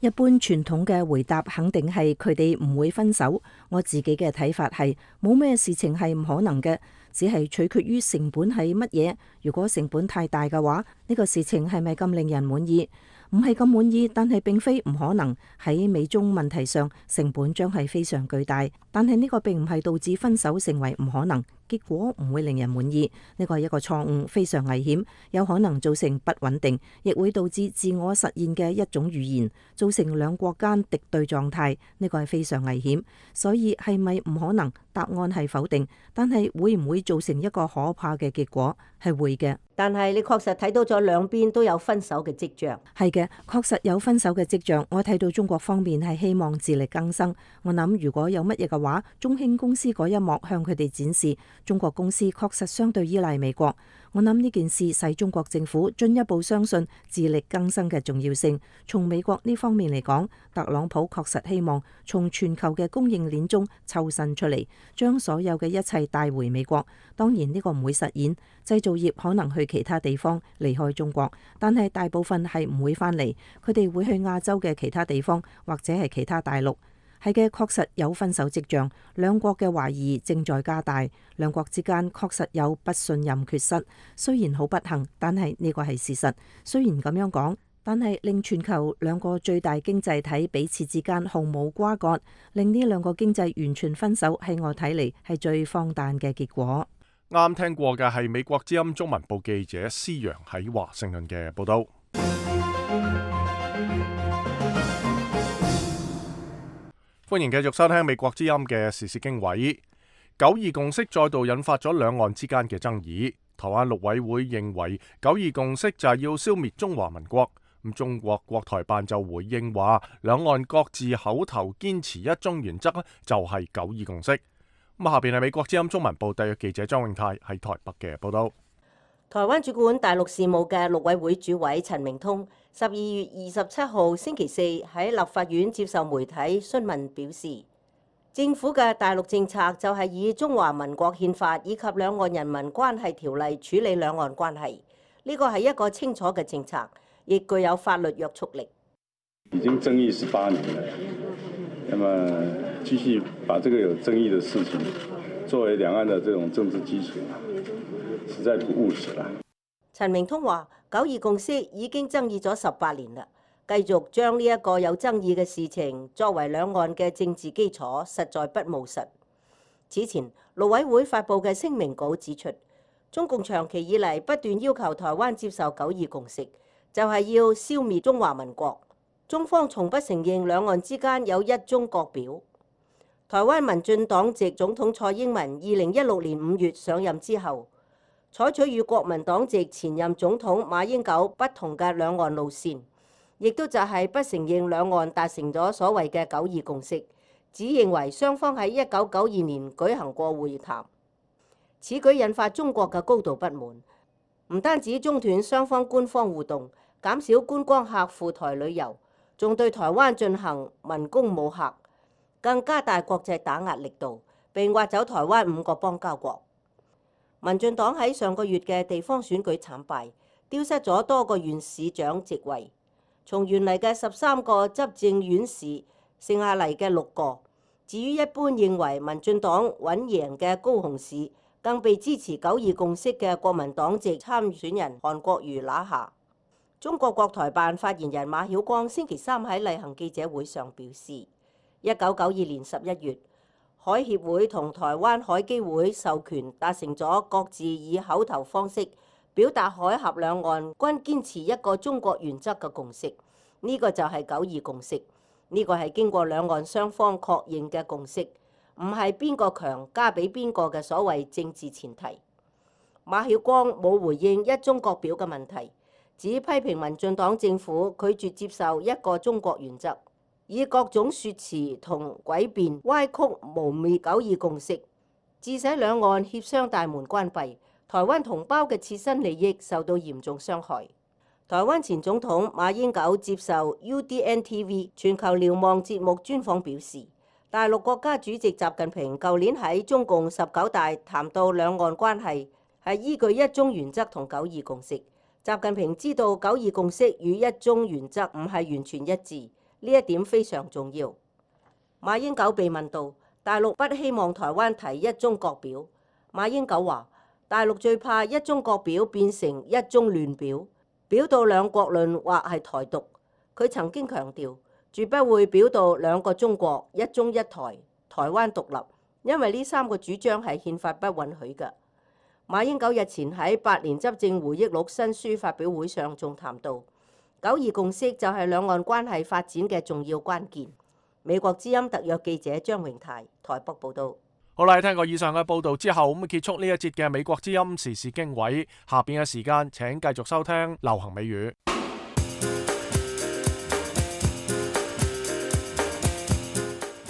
一般傳統嘅回答肯定係佢哋唔會分手。我自己嘅睇法係冇咩事情係唔可能嘅，只係取決於成本係乜嘢。如果成本太大嘅話，呢個事情係咪咁令人滿意？唔係咁滿意，但係並非唔可能。喺美中問題上，成本將係非常巨大，但係呢個並唔係導致分手成為唔可能，結果唔會令人滿意。呢個係一個錯誤，非常危險，有可能造成不穩定，亦會導致自我實現嘅一種預言，造成兩國間敵對狀態。呢個係非常危險。所以係咪唔可能？答案係否定，但係會唔會造成一個可怕嘅結果？係會嘅。
但係你確實睇到咗兩邊都有分手嘅跡象。
係嘅，確實有分手嘅跡象。我睇到中國方面係希望自力更生。我諗如果有乜嘢嘅話，中興公司嗰一幕向佢哋展示中國公司確實相對依賴美國。我諗呢件事使中國政府進一步相信自力更生嘅重要性。從美國呢方面嚟講，特朗普確實希望從全球嘅供應鏈中抽身出嚟，將所有嘅一切帶回美國。當然呢個唔會實現，製造業可能去其他地方離開中國，但係大部分係唔會返嚟，佢哋會去亞洲嘅其他地方或者係其他大陸。係嘅，確實有分手跡象，兩國嘅懷疑正在加大，兩國之間確實有不信任缺失。雖然好不幸，但係呢個係事實。雖然咁樣講，但係令全球兩個最大經濟體彼此之間毫無瓜葛，令呢兩個經濟完全分手，喺我睇嚟係最荒誕嘅結果。
啱聽過嘅係美國之音中文部記者施洋喺華盛頓嘅報道。歡迎繼續收聽美國之音嘅時事經緯。九二共識再度引發咗兩岸之間嘅爭議。台灣陸委會認為九二共識就係要消滅中華民國。咁中國國台辦就回應話，兩岸各自口頭堅持一中原則就係九二共識。咁下邊係美國之音中文部特約記者張永泰喺台北嘅報道。
台灣主管大陸事務嘅陸委會主委陳明通十二月二十七號星期四喺立法院接受媒體詢問，表示政府嘅大陸政策就係以中華民國憲法以及兩岸人民關係條例處理兩岸關係，呢個係一個清楚嘅政策，亦具有法律約束力。
已經爭議十八年了，那麼繼續把這個有爭議的事情作為兩岸的這種政治基礎，實在不務實啦。
陳明通話：九二共識已經爭議咗十八年啦，繼續將呢一個有爭議嘅事情作為兩岸嘅政治基礎，實在不務實。此前，陸委會發布嘅聲明稿指出，中共長期以嚟不斷要求台灣接受九二共識，就係要消滅中華民國。中方從不承認兩岸之間有一中國表。台灣民進黨籍總統蔡英文二零一六年五月上任之後，採取與國民黨籍前任總統馬英九不同嘅兩岸路線，亦都就係不承認兩岸達成咗所謂嘅九二共識，只認為雙方喺一九九二年舉行過會談。此舉引發中國嘅高度不滿，唔單止中斷雙方官方互動，減少觀光客赴台旅遊，仲對台灣進行文攻武嚇，更加大國際打壓力度，並挖走台灣五個邦交國。民進黨喺上個月嘅地方選舉慘敗，丟失咗多個縣市長席位，從原嚟嘅十三個執政縣市剩下嚟嘅六個。至於一般認為民進黨穩贏嘅高雄市，更被支持九二共識嘅國民黨籍參選人韓國瑜拿下。中國國台辦發言人馬曉光星期三喺例行記者會上表示，一九九二年十一月，海協會同台灣海基會授權達成咗各自以口頭方式表達海峽兩岸均堅持一個中國原則嘅共識，呢個就係九二共識。呢個係經過兩岸雙方確認嘅共識，唔係邊個強加俾邊個嘅所謂政治前提。馬曉光冇回應一中國表嘅問題，只批評民進黨政府拒絕接受一個中國原則，以各種説辭同詭辯歪曲污蔑九二共識，致使兩岸協商大門關閉，台灣同胞嘅切身利益受到嚴重傷害。台灣前總統馬英九接受 U D N T V 全球瞭望節目專訪表示，大陸國家主席習近平舊年喺中共十九大談到兩岸關係係依據一中原則同九二共識。習近平知道九二共識與一中原則唔係完全一致，呢一點非常重要。馬英九被問到大陸不希望台灣提一中國表，馬英九話：大陸最怕一中國表變成一中亂表，表到兩國論或係台獨。佢曾經強調，絕不會表到兩個中國、一中一台、台灣獨立，因為呢三個主張係憲法不允許嘅。馬英九日前喺八年執政回憶錄新書發表會上仲談到，九二共識就係兩岸關係發展嘅重要關鍵。美國之音特約記者張榮泰台北報道。
好啦，聽過以上嘅報道之後，咁結束呢一節嘅美國之音時事經緯。下邊嘅時間請繼續收聽流行美語。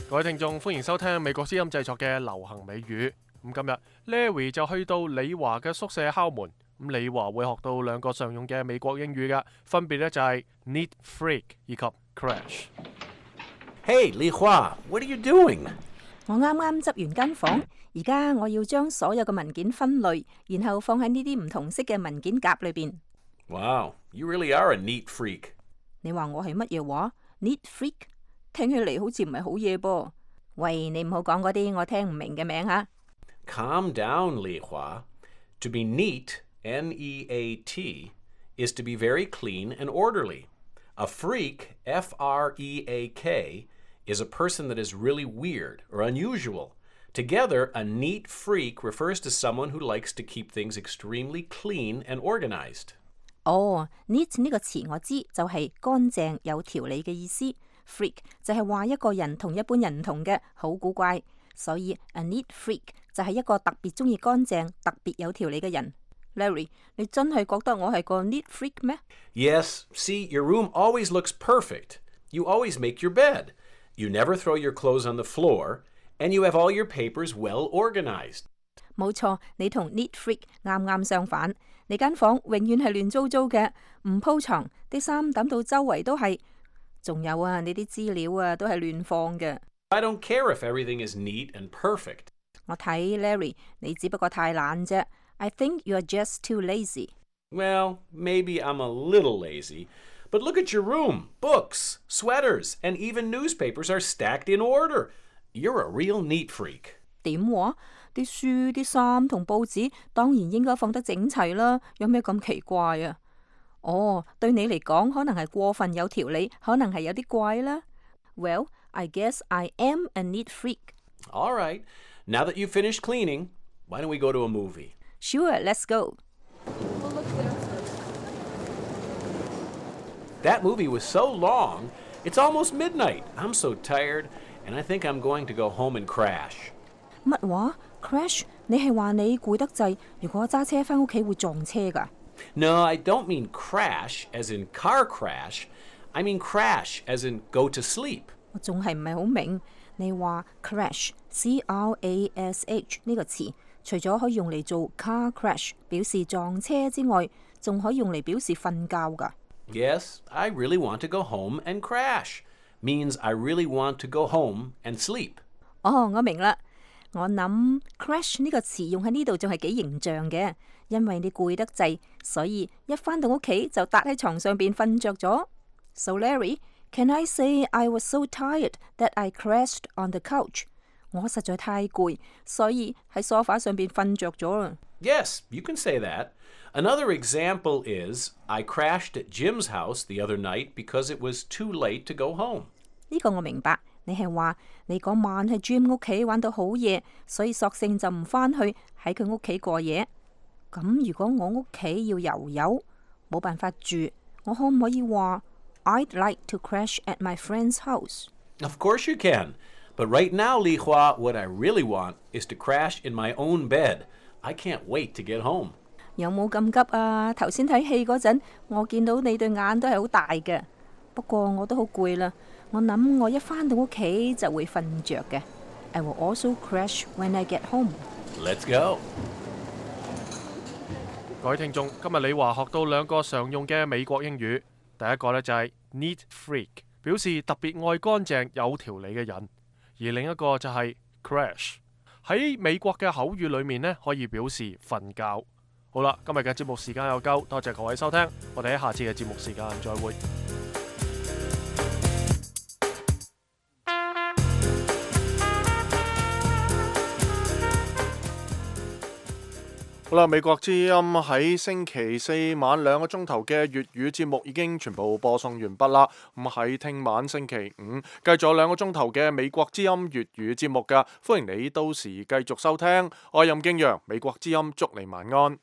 各位聽眾，歡迎收聽美國之音製作嘅流行美語。咁今日 Larry 就去到李華嘅宿舍敲門，咁李華會學到兩個常用嘅美國英語㗎，分別咧就係 neat freak 以及 crash。Hey,
Li Hua, what are you doing?
我啱啱執完間房，而家我要將所有嘅文件分類，然後放喺呢啲唔同色嘅文件夾裏邊。
Wow, you really are a neat freak.
你話我係乜嘢話 ？Neat freak？ 聽起嚟好似唔係好嘢噃。喂，你唔好講嗰啲我聽唔明嘅名吓。
Calm down, Li Hua. To be neat, N E A T, is to be very clean and orderly. A freak, F R E A K, is a person that is really weird or unusual. Together, a neat freak refers to someone who likes to keep things extremely clean and organized.
哦 ，neat 呢個詞我知，就係乾淨有條理嘅意思。freak 就係話一個人同一般人唔同嘅，好古怪。所以 a neat freak 就係一個特別中意乾淨、特別有條理嘅人。Larry， 你真係覺得我係個 neat freak 咩？
Yes, see, your room always looks perfect. You always make your bed. You never throw your clothes on the floor, and you have all your papers well organized.
冇錯，你同 neat freak 啱啱相反。你間房永遠係亂糟糟嘅，唔鋪床，啲衫抌到周圍都係。仲有啊，你啲資料啊都係亂放嘅。
I don't care if everything is neat and perfect.
我睇 Larry， 你只不過太懶啫。I think you're just too lazy.
Well, maybe I'm a little lazy. But look at your room. Books, sweaters, and even newspapers are stacked in order. You're a real neat freak.
點話？啲書、啲衫同報紙當然應該放得整齊啦，有咩咁奇怪啊？哦，對你嚟講可能係過分有條理，可能係有啲怪啦。Well, I guess I am a neat freak.
All right. Now that you've finished cleaning, why don't we go to a movie?
Sure, let's go.
That movie was so long, it's almost midnight. I'm so tired, and I think I'm going to go home and crash.
乜話 ？Crash？ 你係話你攰得滯，如果揸車返屋企會撞車㗎？
No, I don't mean crash as in car crash. I mean crash as in go to sleep.
我仲係唔係好明？你話 crash，C R A S H 呢個詞，除咗可以用嚟做 car crash 表示撞車之外，仲可以用嚟表示瞓覺㗎。
Yes, I really want to go home and crash. Means I really want to go home and sleep.
哦，我明啦。我諗 crash 呢個詞用喺呢度仲係幾形象嘅，因為你攰得滯，所以一返到屋企就笪喺床上邊瞓着咗。So Larry, can I say I was so tired that I crashed on the couch? 我實在太攰，所以喺梳化上邊瞓着咗啦。
Yes, you can say that. Another example is I crashed at Jim's house the other night because it was too late to go home.
呢個我明白，你係話你嗰晚喺 Jim 屋企玩到好夜，所以索性就唔返去喺佢屋企過夜。咁如果我屋企要游游，冇辦法住，我可唔可以話 I'd like to crash at my friend's house?
Of course you can. But right now, Li Hua, what I really want is to crash in my own bed. I can't wait to get home.
有冇咁急啊？頭先睇戲嗰陣，我見到你對眼都係好大嘅。不過我都好攰啦，我諗我一返到屋企就會瞓着嘅。I will also crash when I get home.
Let's go.
各位聽眾，今日李華學到兩個常用嘅美國英語。第一個呢就係 neat freak， 表示特別愛乾淨有條理嘅人；而另一個就係 crash， 喺美國嘅口語裏面呢可以表示瞓覺。好啦，今日嘅節目時間又夠，多謝各位收聽，我哋喺下次嘅節目時間再會。好啦，美國之音喺星期四晚兩個鐘頭嘅粵語節目已經全部播送完畢啦。咁喺聽晚星期五繼續有兩個鐘頭嘅美國之音粵語節目㗎，歡迎你到時繼續收聽。我係任敬揚，美國之音祝你晚安。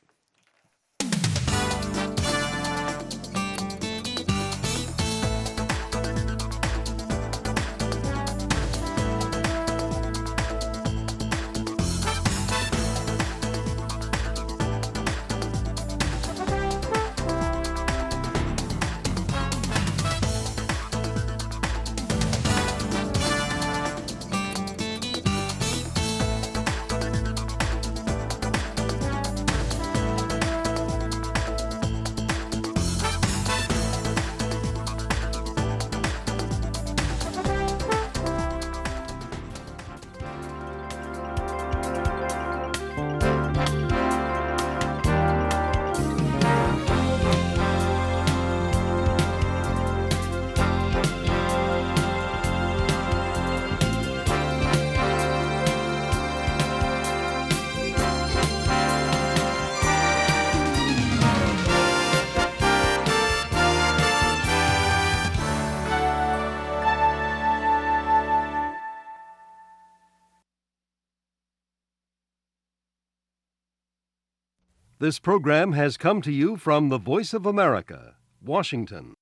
This program has come to you from the Voice of America, Washington.